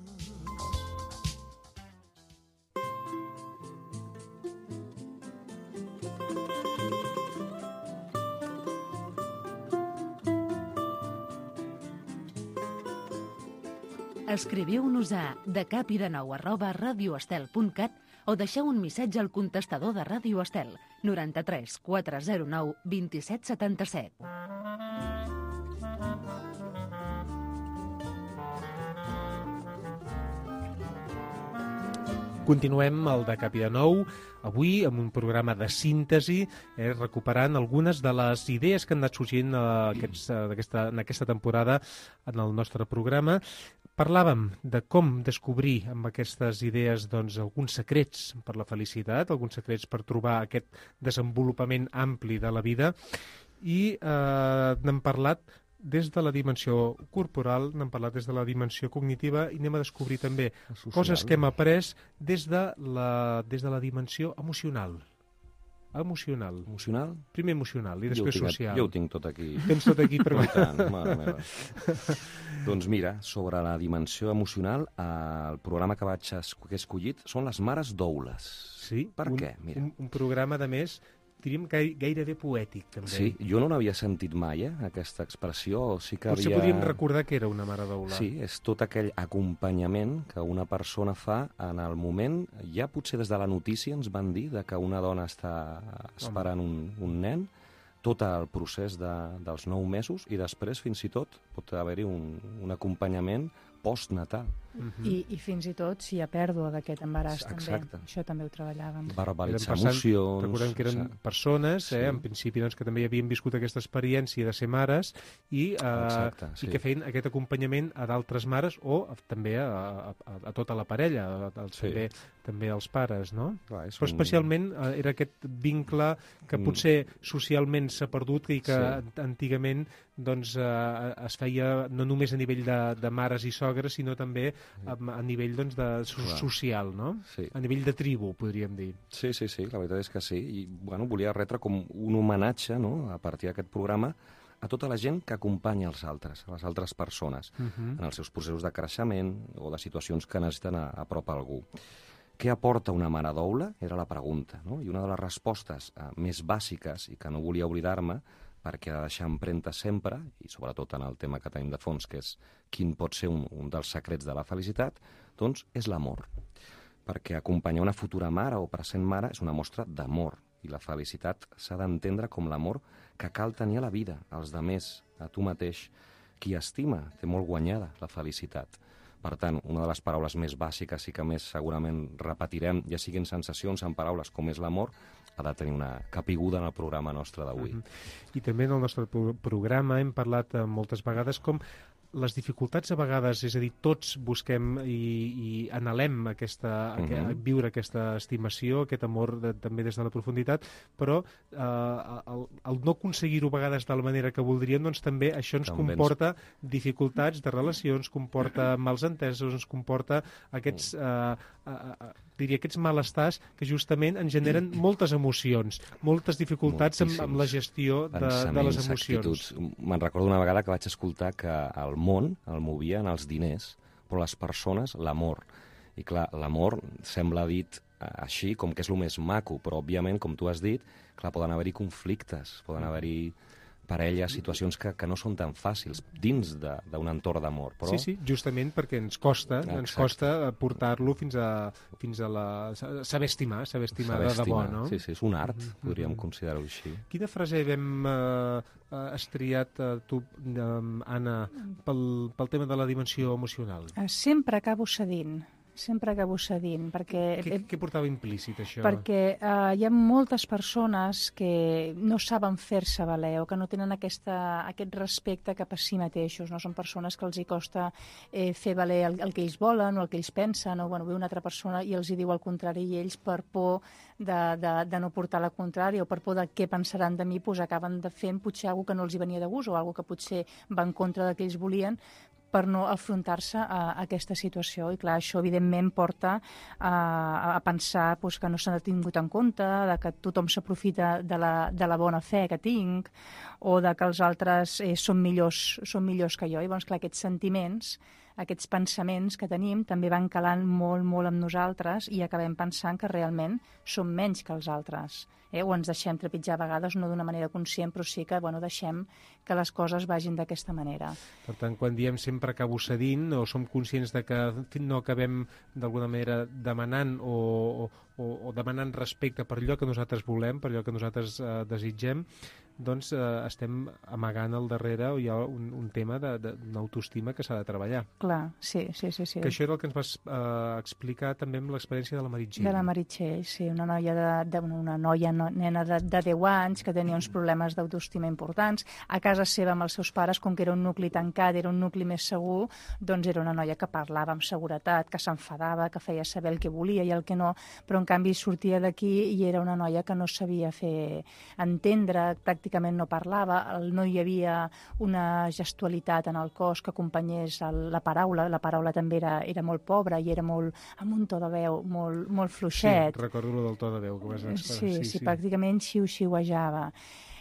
Escriviu-nos a decapidenou arroba radioestel punt cat o deixeu un missatge al contestador de Ràdio Estel noranta-tres quatre zero nou vint-i-set setanta-set. Continuem el de Capi de Nou, avui amb un programa de síntesi, eh, recuperant algunes de les idees que han anat sorgint eh, aquests, eh, aquesta, en aquesta temporada en el nostre programa. Parlàvem de com descobrir amb aquestes idees doncs, alguns secrets per la felicitat, alguns secrets per trobar aquest desenvolupament ampli de la vida, i eh, n'hem parlat des de la dimensió corporal, n'hem parlat des de la dimensió cognitiva, i anem a descobrir també Social. coses que hem après des de la, des de la dimensió emocional. Emocional. Emocional? Primer emocional i Jo ho després tinc- social. Jo ho tinc tot aquí. Tens tot aquí per... I tant, mare meva. Doncs mira, sobre la dimensió emocional, eh, el programa que vaig es que he escollit són les mares doules. Sí, Per un, què? Mira. Un, un programa, de més, diríem gai, gairebé poètic, també. Sí, jo no n'havia sentit mai, eh, aquesta expressió. Sí que Potser havia... podríem recordar que era una mare d'aula. Sí, és tot aquell acompanyament que una persona fa en el moment, ja potser des de la notícia ens van dir de que una dona està esperant un, un nen, tot el procés de, dels nou mesos, i després, fins i tot, pot haver-hi un, un acompanyament postnatal. Mm-hmm. I, I fins i tot si hi ha pèrdua d'aquest embaràs, Exacte. també. Això també ho treballàvem. Verbalitzar Passant, emocions... Recordem que eren o sigui, persones, eh, sí. en principi, doncs, que també havien viscut aquesta experiència de ser mares i, eh, Exacte, sí. i que feien aquest acompanyament a d'altres mares o a, també a, a, a tota la parella, a, a, Sí. també, també als pares, no? Clar, és Però un- especialment eh, era aquest vincle que Mm. potser socialment s'ha perdut i que Sí. antigament doncs, eh, es feia no només a nivell de, de mares i sogres, sinó també a, a nivell doncs, de, so, Clar. social, no? Sí. A nivell de tribu, podríem dir. Sí, sí, sí, la veritat és que sí. I bueno, volia retre com un homenatge, no?, a partir d'aquest programa, a tota la gent que acompanya els altres, a les altres persones, Uh -huh. en els seus processos de creixement o de situacions que necessiten a, a prop a algú. Què aporta una mare doula? Era la pregunta, no? I una de les respostes eh, més bàsiques, i que no volia oblidar-me, perquè ha de deixar empremta sempre, i sobretot en el tema que tenim de fons, que és quin pot ser un, un dels secrets de la felicitat, doncs és l'amor. Perquè acompanyar una futura mare o present mare és una mostra d'amor, i la felicitat s'ha d'entendre com l'amor que cal tenir a la vida, als demés, a tu mateix. Qui estima té molt guanyada la felicitat. Per tant, una de les paraules més bàsiques i que més segurament repetirem, ja siguin sensacions en paraules com és l'amor, ha de tenir una capiguda en el programa nostre d'avui. Uh-huh. I també en el nostre pro programa hem parlat eh, moltes vegades com les dificultats a vegades, és a dir, tots busquem i, i anhelem aquesta, uh -huh. viure aquesta estimació, aquest amor de, també des de la profunditat, però eh, el, el no aconseguir-ho a vegades de la manera que voldríem, doncs també això ens També comporta dificultats de relacions, comporta mals entesos, ens comporta aquests, eh, eh, eh, diria, aquests malestars que justament ens generen moltes emocions, moltes dificultats amb, amb la gestió de, de les emocions. Actituds. Me'n recordo una vegada que vaig escoltar que el món el movien els diners, però les persones l'amor. I clar, l'amor sembla dit eh, així, com que és el més maco, però òbviament, com tu has dit, clar, poden haver-hi conflictes, poden haver-hi parelles, situacions que, que no són tan fàcils dins d'un entorn d'amor. Però... Sí, sí, justament perquè ens costa, Exacte. ens costa portar-lo fins a, fins a la... saber estimar, saber estimar Saber de debò, estimar. no? Sí, sí, és un art, Mm-hmm. podríem considerar-ho així. Quina frase hem eh, estriat eh, tu, eh, Anna, pel, pel tema de la dimensió emocional? Eh, Sempre acabo cedint, sempre acabo cedint, perquè... Què, què portava implícit, això? Perquè eh, hi ha moltes persones que no saben fer-se valer o que no tenen aquesta, aquest respecte cap a si mateixos. No? Són persones que els hi costa eh, fer valer el, el que ells volen o el que ells pensen, o bueno, ve una altra persona i els hi diu el contrari, i ells, per por de, de, de no portar la contrària o per por de què pensaran de mi, doncs acaben de fent potser alguna que no els hi venia de gust o alguna que potser va en contra del que ells volien, per no afrontar-se a, a aquesta situació. I clar, això evidentment porta a, a pensar doncs, que no s'ha tingut en compte, de que tothom s'aprofita de, la, de la bona fe que tinc, o de que els altres eh, són, millors, són millors que jo. I llavors, clar, aquests sentiments, aquests pensaments que tenim també van calant molt, molt amb nosaltres i acabem pensant que realment som menys que els altres. Eh? O ens deixem trepitjar a vegades, no d'una manera conscient, però sí que bueno, deixem que les coses vagin d'aquesta manera. Per tant, quan diem sempre acabo cedint o som conscients de que en fi, no acabem d'alguna manera demanant o, o, o demanant respecte per allò que nosaltres volem, per allò que nosaltres eh, desitgem, doncs eh, estem amagant al darrere o hi ha un, un tema d'una autoestima que s'ha de treballar. Clar, sí, sí, sí. sí. Que això era el que ens vas eh, explicar també amb l'experiència de la Meritxell. De la Meritxell, sí, una noia de, de una noia no, nena de, de deu anys que tenia uns problemes d'autoestima importants. A casa seva amb els seus pares, com que era un nucli tancat, era un nucli més segur, doncs era una noia que parlava amb seguretat, que s'enfadava, que feia saber el que volia i el que no, però en canvi sortia d'aquí i era una noia que no sabia fer entendre, pràcticament no parlava, no hi havia una gestualitat en el cos que acompanyés el, la paraula, la paraula també era, era molt pobra i era molt, amb un to de veu molt, molt fluixet. Sí, recordo lo del to de veu que vas expressar. Sí, sí, sí, sí, pràcticament xiu-xiuejava.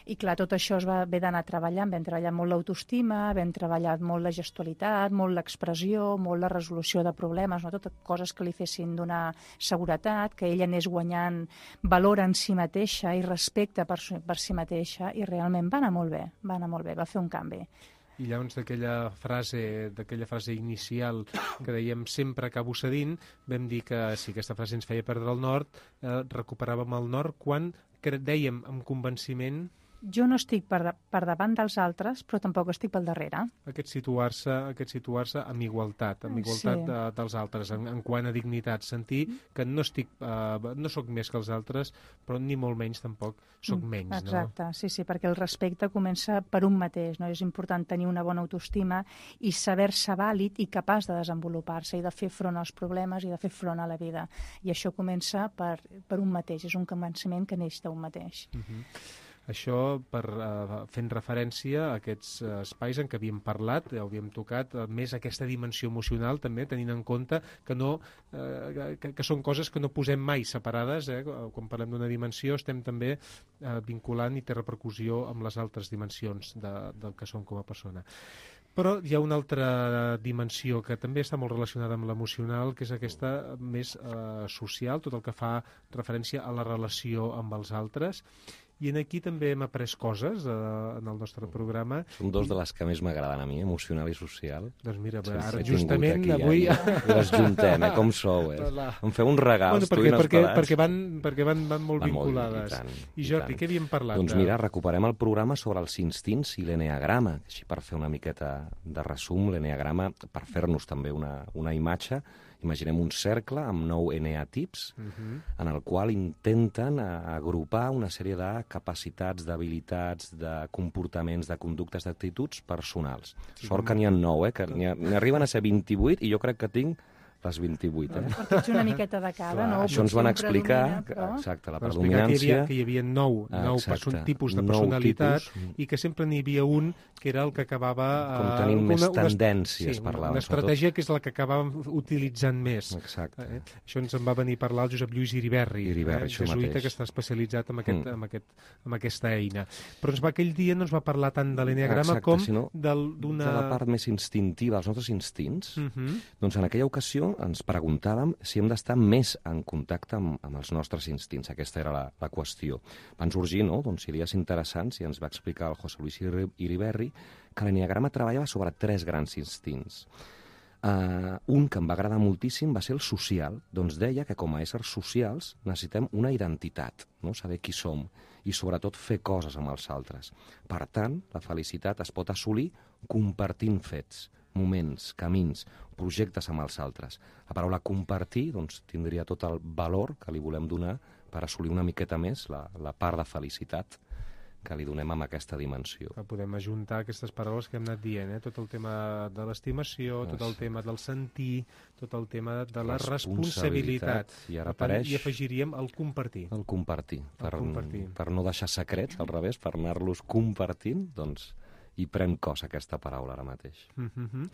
I clar, tot això es va haver d'anar treballant. Vam treballar molt l'autoestima, vam treballar molt la gestualitat, molt l'expressió, molt la resolució de problemes, no? Totes coses que li fessin donar seguretat, que ella anés guanyant valor en si mateixa i respecte per, per si mateixa, i realment va anar molt bé, va anar molt bé, va fer un canvi. I llavors d'aquella frase, d'aquella frase inicial que dèiem sempre acabo cedint, vam dir que si aquesta frase ens feia perdre el nord, eh, recuperàvem el nord quan dèiem amb convenciment... Jo no estic per, de, per davant dels altres, però tampoc estic pel darrere. Aquest situar-se aquest situar-se amb igualtat, amb igualtat sí. de, dels altres, en, en quant a dignitat. Sentir que no estic, uh, no sóc més que els altres, però ni molt menys tampoc sóc menys. Exacte, no? sí, sí, perquè el respecte comença per un mateix, no? És important tenir una bona autoestima i saber-se vàlid i capaç de desenvolupar-se i de fer front als problemes i de fer front a la vida. I això comença per, per un mateix, és un convenciment que neix d'un mateix. Uh-huh. Això per, uh, fent referència a aquests uh, espais en què havíem parlat, eh, havíem tocat uh, més aquesta dimensió emocional també, tenint en compte que, no, uh, que, que són coses que no posem mai separades. Eh? Quan parlem d'una dimensió estem també uh, vinculant i té repercussió amb les altres dimensions de, del que som com a persona. Però hi ha una altra dimensió que també està molt relacionada amb l'emocional, que és aquesta més uh, social, tot el que fa referència a la relació amb els altres. I aquí també hem après coses eh, en el nostre programa. Són dos de les que més m'agraden a mi, emocional i social. Doncs mira, ara justament aquí, avui... Ja, I les juntem, eh, com sou, eh? Em feu uns regals, bueno, perquè, tu i els perquè, pelats. Perquè van, perquè van, van molt van vinculades. Molt, i, tant, I Jordi, i què havíem parlat? Doncs mira, recuperem el programa sobre els instints i l'eneagrama, així per fer una miqueta de resum, l'eneagrama, per fer-nos també una, una imatge. Imaginem un cercle amb nou eneatips, uh-huh. en el qual intenten agrupar una sèrie de capacitats, d'habilitats, de comportaments, de conductes, d'actituds personals. Sí, Sort que n'hi ha nou, eh? Que n'hi arriben a ser vint-i-vuit i jo crec que tinc les vint-i-vuit, eh? Partits una miqueta de cada, no? Això ens van explicar, però... exacte, la predominància... predominància... Que hi havia, que hi havia nou, nou person, tipus de personalitat tipus. I que sempre n'hi havia un que era el que acabava... Com tenim uh, més una, tendències, sí, parlàvem. Una estratègia que és la que acabàvem utilitzant més. Exacte. Eh? Això ens en va venir a parlar el Josep Lluís Iriberri, Iriberri eh? jesuïta que està especialitzat en, aquest, mm. en, aquest, en aquesta eina. Però ens va, aquell dia no ens va parlar tant de l'eneagrama com d'una... De la part més instintiva, els nostres instints. Uh -huh. Doncs en aquella ocasió ens preguntàvem si hem d'estar més en contacte amb, amb els nostres instints. Aquesta era la, la qüestió. Van sorgir, no?, doncs, idees interessants i ens va explicar el José Luis Iriberri que l'eneagrama treballava sobre tres grans instints. Uh, un que em va agradar moltíssim va ser el social. Doncs deia que com a éssers socials necessitem una identitat, no?, saber qui som i sobretot fer coses amb els altres. Per tant, la felicitat es pot assolir compartint fets, moments, camins, projectes amb els altres. La paraula compartir doncs, tindria tot el valor que li volem donar per assolir una miqueta més la, la part de felicitat que li donem amb aquesta dimensió. Que podem ajuntar aquestes paraules que hem anat dient, eh? Tot el tema de l'estimació, tot el tema del sentir, tot el tema de la responsabilitat. I ara per tant, apareix... I afegiríem el compartir. El compartir. Per, el compartir. Per no deixar secrets, al revés, per anar-los compartint, doncs i pren cos aquesta paraula ara mateix. Uh-huh.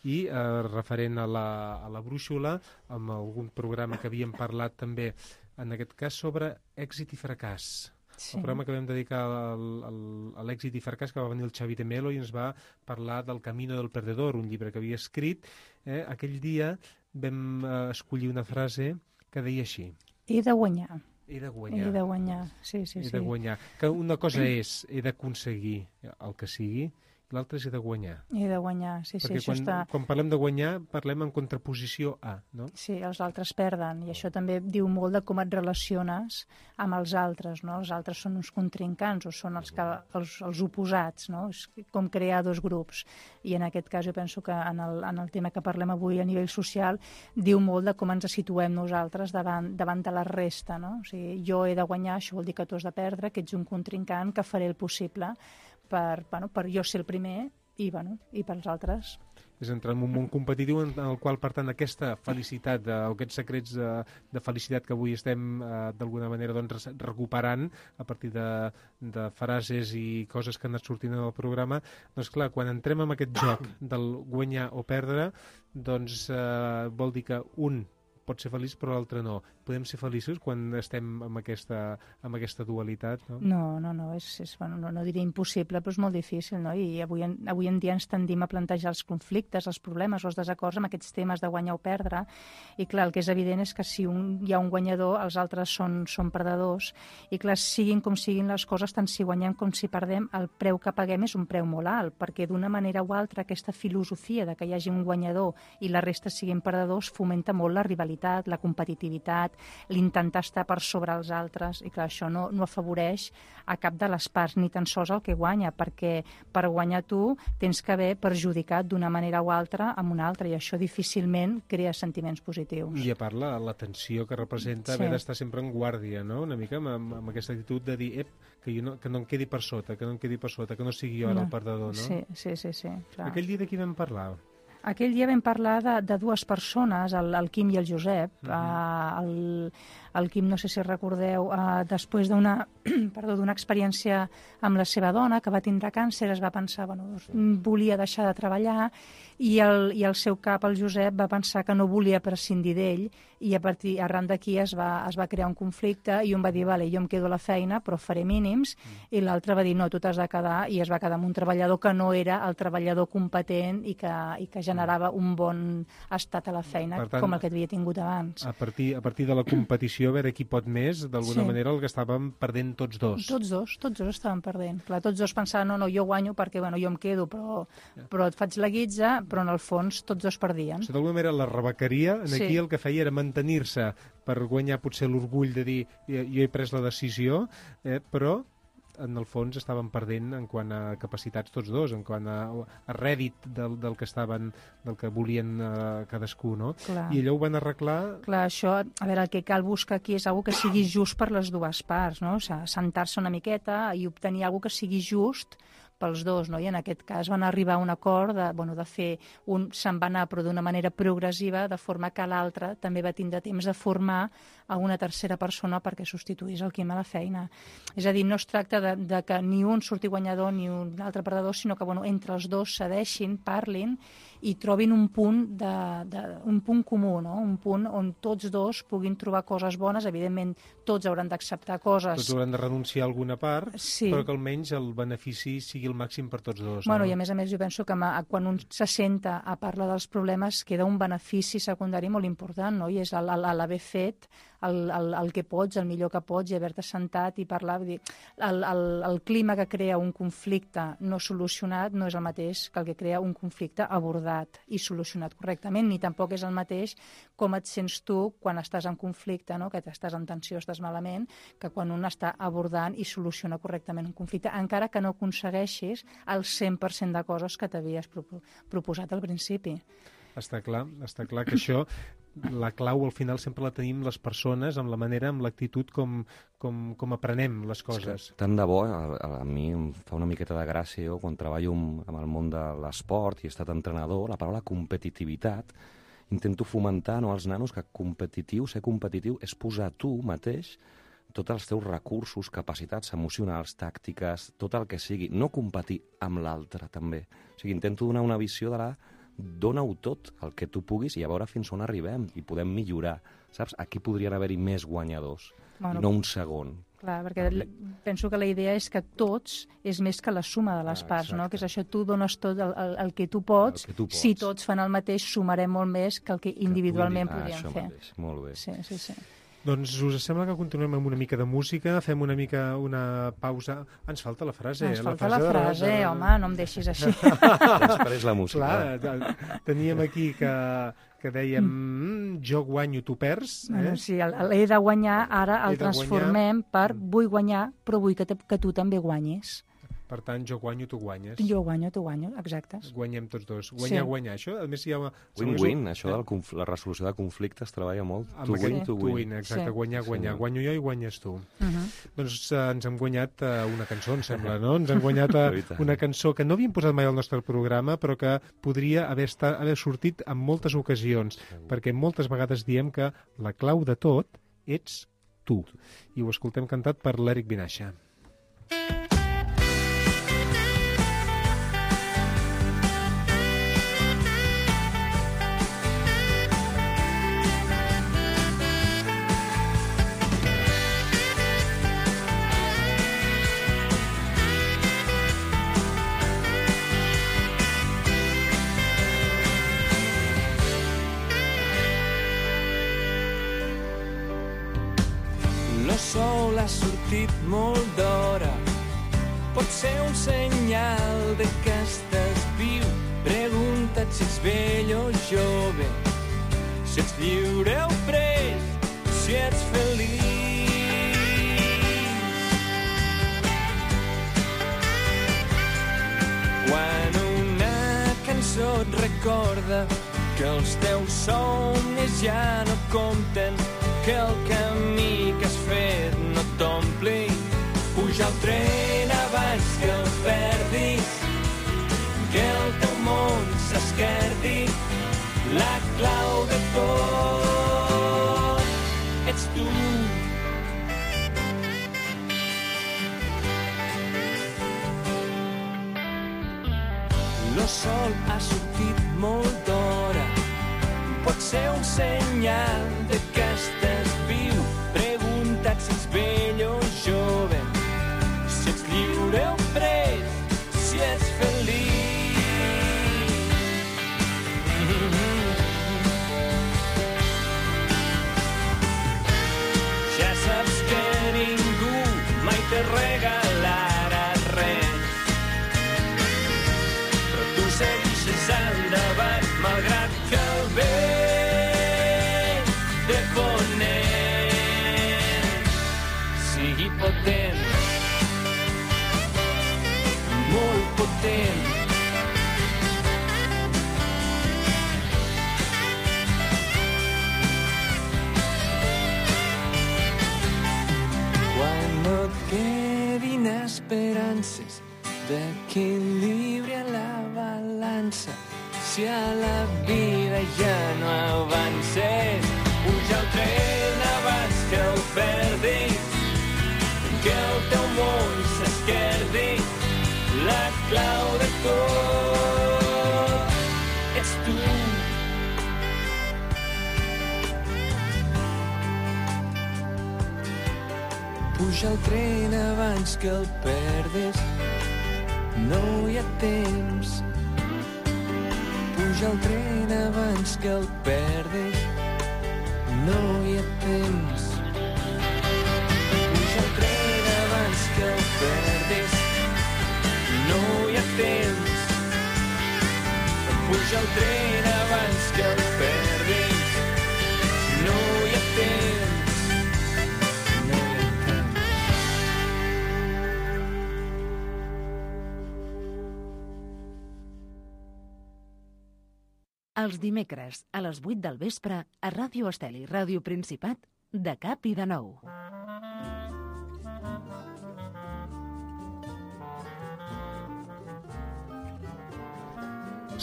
I eh, referent a la, a la brúixola, amb algun programa que havíem parlat també, en aquest cas, sobre èxit i fracàs. Sí. El programa que vam dedicar al, al, a l'èxit i fracàs, que va venir el Xavi de Melo i ens va parlar del Camino del Perdedor, un llibre que havia escrit. Eh? Aquell dia vam eh, escollir una frase que deia així: he de guanyar. He de guanyar. He de guanyar, sí, sí, he sí. de guanyar. Que una cosa és, he d'aconseguir el que sigui, l'altre és he de guanyar. He de guanyar, sí, sí, perquè això quan, està... quan parlem de guanyar, parlem en contraposició a, no? Sí, els altres perden, i això també diu molt de com et relaciones amb els altres, no? Els altres són uns contrincants o són els, que, els, els oposats, no? És com crear dos grups. I en aquest cas jo penso que en el, en el tema que parlem avui a nivell social diu molt de com ens situem nosaltres davant, davant de la resta, no? O sigui, jo he de guanyar, això vol dir que tu has de perdre, que ets un contrincant, que faré el possible per, bueno, per jo ser el primer i, bueno, i pels altres. És entrar en un món competitiu en el qual, per tant, aquesta felicitat, de, o aquests secrets de, de felicitat que avui estem eh, d'alguna manera doncs, recuperant a partir de, de frases i coses que han anat sortint en el programa, doncs clar, quan entrem en aquest joc del guanyar o perdre, doncs eh, vol dir que un pot ser feliç però l'altre no. podem ser feliços quan estem amb aquesta, amb aquesta dualitat, no? No, no, no, és, és, bueno, no, no diria impossible, però és molt difícil, no? I avui en, avui en dia ens tendim a plantejar els conflictes, els problemes o els desacords amb aquests temes de guanyar o perdre, i clar, el que és evident és que si un, hi ha un guanyador, els altres són, són perdedors, i clar, siguin com siguin les coses, tant si guanyem com si perdem, el preu que paguem és un preu molt alt, perquè d'una manera o altra aquesta filosofia de que hi hagi un guanyador i la resta siguin perdedors fomenta molt la rivalitat, la competitivitat, l'intentar estar per sobre els altres, i clar, això no, no afavoreix a cap de les parts, ni tan sols el que guanya, perquè per guanyar tu tens que haver perjudicat d'una manera o altra amb una altra, i això difícilment crea sentiments positius. I a part la, la tensió que representa sí. haver d'estar sempre en guàrdia, no? Una mica amb, amb, amb aquesta actitud de dir, ep, que, jo no, que no em quedi per sota, que no em quedi per sota, que no sigui jo ara no. el perdedor, no? Sí, sí, sí, sí, clar. Aquell dia de qui vam parlar? Aquell dia vam parlar de, de dues persones, el, el Quim i el Josep. Uh-huh. uh, el, el Quim, no sé si recordeu, uh, després d'una perdó, d'una experiència amb la seva dona, que va tindre càncer, es va pensar, bueno, doncs, volia deixar de treballar, i el, i el seu cap, el Josep, va pensar que no volia prescindir d'ell, i a partir arran d'aquí es va, es va crear un conflicte, i un va dir, vale, jo em quedo a la feina, però faré mínims, mm. i l'altre va dir, no, tu t'has de quedar, i es va quedar amb un treballador que no era el treballador competent i que, i que generava un bon estat a la feina, tant, com el que havia tingut abans. A partir, a partir de la competició, a veure qui pot més, d'alguna sí. manera el que estàvem perdent tots dos. Tots dos, tots dos estaven perdent. Clar, tots dos pensaven, no, no, jo guanyo perquè, bueno, jo em quedo, però, però et faig la guitza, però en el fons tots dos perdien. O sigui, d'alguna manera la rebequeria, en aquí sí. el que feia era mantenir-se per guanyar potser l'orgull de dir jo he pres la decisió, eh, però en el fons estaven perdent en quant a capacitats tots dos, en quant a, a rèdit del, del que estaven, del que volien uh, cadascú, no? Clar. I allò ho van arreglar... Clar, això, a veure, el que cal buscar aquí és algo que sigui just per les dues parts, no? O sigui, sentar-se una miqueta i obtenir algo que sigui just pels dos, no? I en aquest cas van arribar a un acord de, bueno, de fer un... se'n va anar, però d'una manera progressiva, de forma que l'altre també va tindre temps de formar a una tercera persona perquè substituís el Quim a la feina. És a dir, no es tracta de, de que ni un surti guanyador ni un altre perdedor, sinó que, bueno, entre els dos cedeixin, parlin i trobin un punt, de, de, un punt comú, no? Un punt on tots dos puguin trobar coses bones. Evidentment, tots hauran d'acceptar coses. Tots hauran de renunciar a alguna part, sí. però que almenys el benefici sigui el màxim per tots dos. Bueno, no? I a més a més jo penso que quan un se senta a parlar dels problemes queda un benefici secundari molt important, no? I és l'haver fet el, el, el que pots, el millor que pots, i haver-te sentat i parlar. Vull dir, el, el, el clima que crea un conflicte no solucionat no és el mateix que el que crea un conflicte abordat i solucionat correctament, ni tampoc és el mateix com et sents tu quan estàs en conflicte, no? Que estàs en tensió, estàs malament, que quan un està abordant i soluciona correctament un conflicte, encara que no aconsegueixis el cent per cent de coses que t'havies proposat al principi. Està clar, està clar que això, la clau al final sempre la tenim les persones, amb la manera, amb l'actitud com, com, com aprenem les coses. Tant de bo, a, a mi em fa una miqueta de gràcia, jo, quan treballo amb el món de l'esport i he estat entrenador, la paraula competitivitat, intento fomentar, no, als nanos que competitiu, ser competitiu, és posar tu mateix tots els teus recursos, capacitats emocionals, tàctiques, tot el que sigui, no competir amb l'altre, també. O sigui, intento donar una visió de la dona-ho tot, el que tu puguis, i a veure fins on arribem, i podem millorar, saps? Aquí podrien haver-hi més guanyadors, bueno, i no un segon. Clar, perquè penso que la idea és que tots és més que la suma de les ah, parts, no? Que és això, tu dones tot el, el, el que tu pots, el que tu pots. Si tots fan el mateix, sumarem molt més que el que individualment que podríem ah, fer. Mateix. Molt bé. Sí, sí, sí. Doncs us sembla que continuem amb una mica de música, fem una mica una pausa... Ens falta la frase. Ens falta la frase, la frase de... home, no em deixis així. Després la música. Clar, teníem aquí que, que dèiem mm, jo guanyo, tu perds. Eh? Bueno, sí, l'he de guanyar, ara el transformem per vull guanyar, però vull que, que tu també guanyis. Per tant, jo guanyo, tu guanyes. Jo guanyo, tu guanyo, exacte. Guanyem tots dos. Guanyar, sí. guanyar. Això, a més, hi ha... Win-win, un... això de la resolució de conflictes treballa molt. Tu win, tu win. Exacte, sí. guanyar, guanyar. Sí. Guanyo jo i guanyes tu. Uh -huh. Doncs uh, ens hem guanyat uh, una cançó, em sembla, no? Ens hem guanyat uh, una cançó que no havíem posat mai al nostre programa, però que podria haver, estat, haver sortit en moltes ocasions, perquè moltes vegades diem que la clau de tot ets tu. I ho escoltem cantat per l'Eric Vinaixa. ha sortit molt d'hora. Pot ser un senyal de que estàs viu. Pregunta't si ets vell o jove, si ets lliure o pres, si ets feliç. Quan una cançó et recorda que els teus somnis ja no compten, que el camí que has fet no t'ompli, puja al tren abans que el perdis, que el teu món s'esquerdi. La clau de tot ets tu. Lo sol ha sortit molt d'hora. Pot ser un senyal de que estàs viu. Pregunta't si ets vell o jove, si ets lliure o pres, si ets feliç. Ja saps que ningú mai te regalarà res, però tu segueixes endavant malgrat que el vent de ponent sigui potent, molt potent. Quan no et quedin esperances d'equilibri a la balança, si a la vida ja no avances, puja el tren abans que el perdis, que el teu món s'esquerdi. La clau de tot ets tu. Puja el tren abans que el perdis, no hi ha temps. Puja el tren abans que el perdis, no hi ha temps. Puja el tren abans que el perdis, no hi ha temps. Puja el tren abans que el perdis, no hi ha temps. No hi ha temps. Els dimecres, a les vuit del vespre, a Ràdio Estel i Ràdio Principat, de cap i de nou.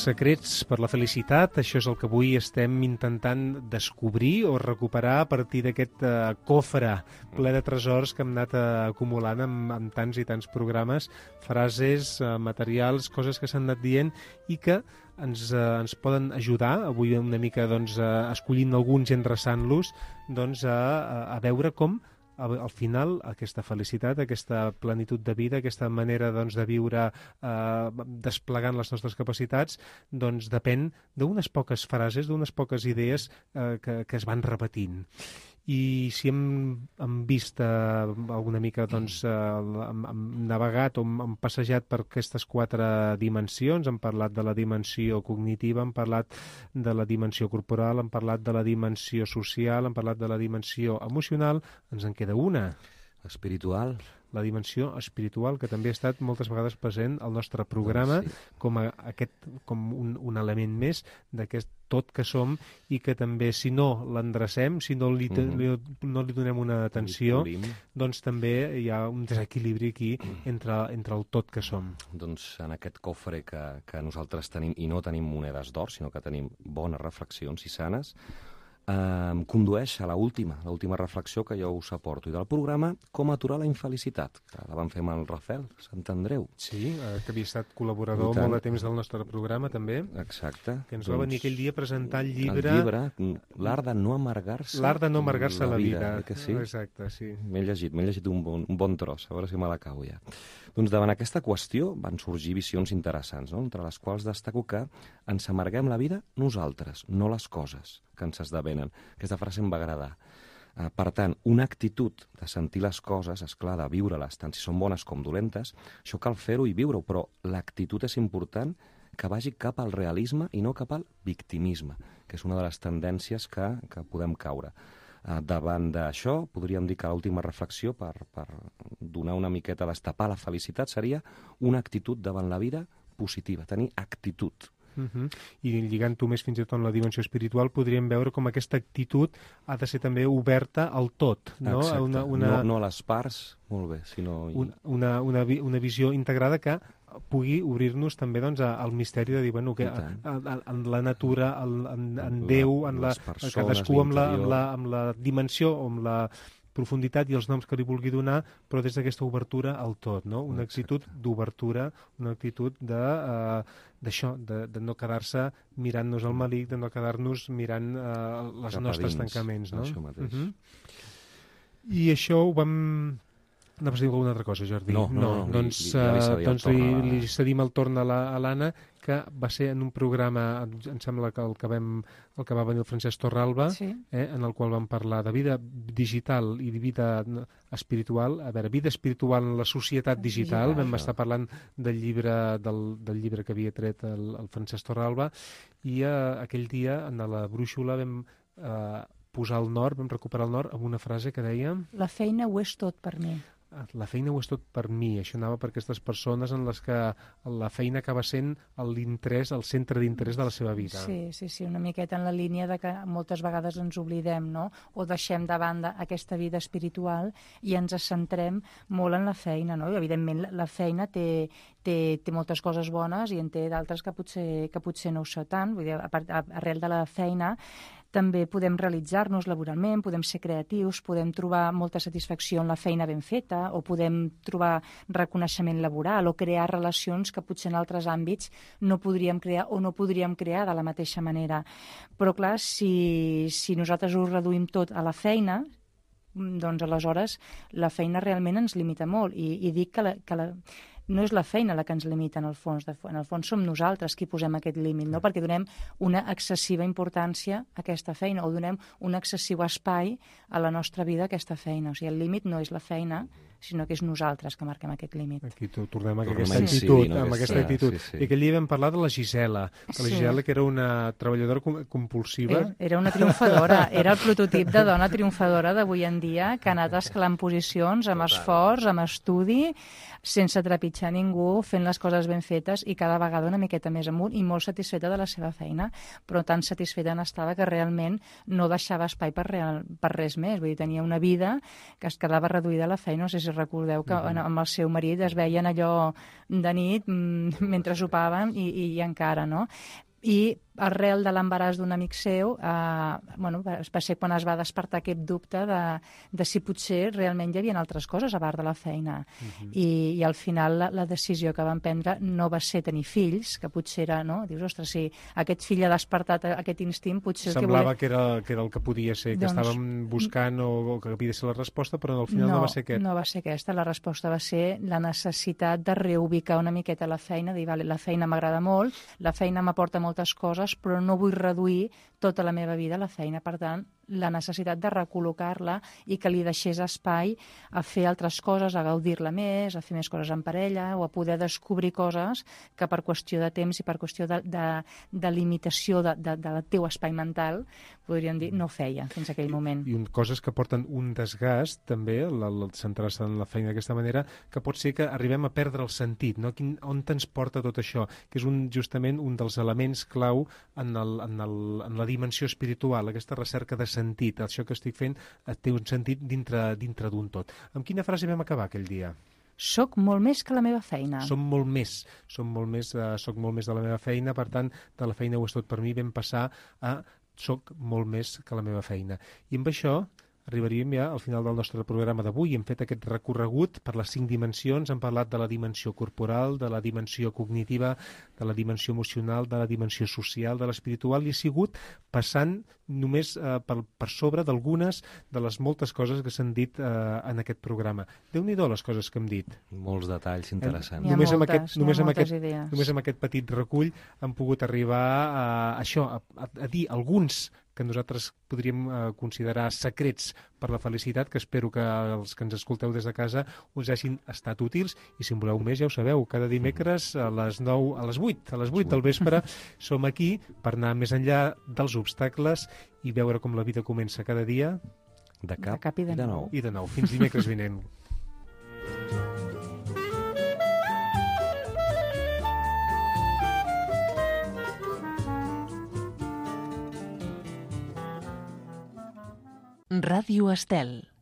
Secrets per la felicitat, això és el que avui estem intentant descobrir o recuperar a partir d'aquest uh, cofre ple de tresors que hem anat uh, acumulant amb, amb tants i tants programes, frases, uh, materials, coses que s'han anat dient i que ens, uh, ens poden ajudar, avui una mica doncs, uh, escollint alguns i endreçant-los, doncs, a, a veure com al final aquesta felicitat, aquesta plenitud de vida, aquesta manera doncs, de viure eh, desplegant les nostres capacitats, doncs depèn d'unes poques frases, d'unes poques idees eh, que, que es van repetint. I si hem, hem vist eh, alguna mica, doncs, eh, hem, hem navegat o hem, hem passejat per aquestes quatre dimensions, hem parlat de la dimensió cognitiva, hem parlat de la dimensió corporal, hem parlat de la dimensió social, hem parlat de la dimensió emocional, ens en queda una. Espiritual. La dimensió espiritual, que també ha estat moltes vegades present al nostre programa, doncs sí, com, a, aquest, com un, un element més d'aquest tot que som i que també, si no l'endrecem, si no li, mm. li, no li donem una atenció, doncs també hi ha un desequilibri aquí entre, entre el tot que som. Doncs en aquest cofre que, que nosaltres tenim, i no tenim monedes d'or, sinó que tenim bones reflexions i sanes, em condueix a l'última, l'última reflexió que jo us aporto, i del programa Com aturar la infelicitat, que la vam fer amb el Rafael Sant Andreu. Sí, eh, que havia estat col·laborador molt de temps del nostre programa, també. Exacte. Que ens doncs, va venir aquell dia a presentar el llibre... El llibre, L'art de no amargar-se L'art de no amargar-se la, la vida. vida. Que sí? Exacte, sí. M'he llegit, m'he llegit un bon, un bon tros, a veure si me l'acabo ja. Doncs davant aquesta qüestió van sorgir visions interessants, no? Entre les quals destaco que ens amarguem la vida nosaltres, no les coses que ens esdevenen. Aquesta frase em va agradar. Uh, per tant, una actitud de sentir les coses, esclar, de viure-les, tant si són bones com dolentes, això cal fer-ho i viure-ho, però l'actitud és important que vagi cap al realisme i no cap al victimisme, que és una de les tendències que, que podem caure. Uh, davant d'això, podríem dir que l'última reflexió per, per donar una miqueta, destapar la felicitat, seria una actitud davant la vida positiva, tenir actitud. Uh-huh. I lligant-ho més fins i tot en la dimensió espiritual, podríem veure com aquesta actitud ha de ser també oberta al tot, no? Exacte. Una, una... No, no a les parts, molt bé, sinó... Una, una, una, una visió integrada que pugui obrir-nos també doncs, al misteri de dir, bueno, que a, a, en la natura, en, en Déu, en la, persones, cadascú amb la, amb, la, amb la dimensió o amb la profunditat i els noms que li vulgui donar, però des d'aquesta obertura al tot, no? Una actitud d'obertura, una actitud de, uh, d'això, de, de no quedar-se mirant-nos al malic, de no quedar-nos mirant uh, els cap nostres dins, tancaments, no? Això mateix. Uh-huh. I això ho vam... Anaves a dir alguna altra cosa, Jordi? No, no, no, doncs, li, li, ja li cedim doncs el li, torn a... li cedim el torn a l'Anna, que va ser en un programa, em sembla que el que, vam, el que va venir el Francesc Torralba, Sí. eh, en el qual vam parlar de vida digital i de vida espiritual. A veure, vida espiritual en la societat digital. Digital. Vam estar parlant del llibre, del, del llibre que havia tret el, el Francesc Torralba, i eh, aquell dia, en la brúixola, vam eh, posar el nord, vam recuperar el nord amb una frase que deia... La feina ho és tot per mi. La feina ho és tot per mi. Això anava per aquestes persones en les que la feina acaba sent l'interès, el centre d'interès de la seva vida. Sí, sí, sí, una miqueta en la línia de que moltes vegades ens oblidem, no? O deixem de banda aquesta vida espiritual i ens centrem molt en la feina, no? I, evidentment, la feina té, té, té moltes coses bones i en té d'altres que potser, que potser no ho sé tant. Vull dir, a part, a, arrel de la feina també podem realitzar-nos laboralment, podem ser creatius, podem trobar molta satisfacció en la feina ben feta, o podem trobar reconeixement laboral o crear relacions que potser en altres àmbits no podríem crear o no podríem crear de la mateixa manera. Però, clar, si, si nosaltres ho reduïm tot a la feina, doncs aleshores la feina realment ens limita molt. I, i dic que la, que la no és la feina la que ens limita en el fons. En el fons som nosaltres qui posem aquest límit, no? Perquè donem una excessiva importància a aquesta feina o donem un excessiu espai a la nostra vida a aquesta feina. O sigui, el límit no és la feina, sinó que és nosaltres que marquem aquest límit. Aquí tornem a Tornem aquesta a actitud, incidir, no? amb aquesta Sí, actitud. sí, sí. I aquell dia vam parlar de la Gisela, que la Sí. Gisela, que era una treballadora com- compulsiva. Era, era una triomfadora, era el prototip de dona triomfadora d'avui en dia, que ha anat escalant posicions amb esforç, amb estudi, sense trepitjar ningú, fent les coses ben fetes i cada vegada una miqueta més amunt i molt satisfeta de la seva feina, però tan satisfeta n'estava que realment no deixava espai per, real, per res més. Vull dir, tenia una vida que es quedava reduïda a la feina. No sé si recordeu que mm-hmm. amb el seu marit es veien allò de nit mm, mentre sopaven i, i, i encara, no? I arrel de l'embaràs d'un amic seu, eh, bueno, va ser quan es va despertar aquest dubte de, de si potser realment hi havia altres coses a part de la feina. Uh-huh. I, I al final la, la decisió que van prendre no va ser tenir fills, que potser era, no? Dius, ostres, si aquest fill ha despertat aquest instint, potser... Semblava el que, volia... que, era, que era el que podia ser, que doncs... estàvem buscant o, o que havia de ser la resposta, però al final no, no va ser aquest. No va ser aquesta. La resposta va ser la necessitat de reubicar una miqueta la feina, dir, vale, la feina m'agrada molt, la feina m'aporta moltes coses, però no vull reduir tota la meva vida a la feina. Per tant, la necessitat de recol·locar-la i que li deixés espai a fer altres coses, a gaudir-la més, a fer més coses en parella o a poder descobrir coses que per qüestió de temps i per qüestió de, de, de limitació de, de, del teu espai mental, podríem dir, no feia fins a aquell moment. I un, coses que porten un desgast, també, el, el centrar-se en la feina d'aquesta manera, que pot ser que arribem a perdre el sentit, no? Quin, on ens porta tot això? Que és un, justament un dels elements clau en, el, en, el, en la dimensió espiritual, aquesta recerca de sentit. Això que estic fent té un sentit dintre, dintre d'un tot. Amb quina frase vam acabar aquell dia? Soc molt més que la meva feina. Som molt més, som molt més, uh, soc molt més de la meva feina, per tant, de la feina ho és tot per mi, vam passar a soc molt més que la meva feina. I amb això arribaríem ja al final del nostre programa d'avui. Hem fet aquest recorregut per les cinc dimensions, hem parlat de la dimensió corporal, de la dimensió cognitiva, de la dimensió emocional, de la dimensió social, de l'espiritual, i ha sigut passant només eh, per, per sobre d'algunes de les moltes coses que s'han dit eh, en aquest programa. Déu-n'hi-do les coses que hem dit. Molts detalls interessants. N'hi ha Només amb moltes, aquest, només n'hi ha amb moltes aquest, idees. només amb aquest petit recull hem pogut arribar a això, a, a, a dir alguns que nosaltres podríem eh, considerar secrets per la felicitat, que espero que els que ens escolteu des de casa us hagin estat útils, i si en voleu més ja ho sabeu, cada dimecres a les nou, a les vuit, a les vuit del vespre som aquí per anar més enllà dels obstacles i veure com la vida comença cada dia De cap, De cap i de i de nou. nou. i de nou. Fins dimecres vinent. Ràdio Estel.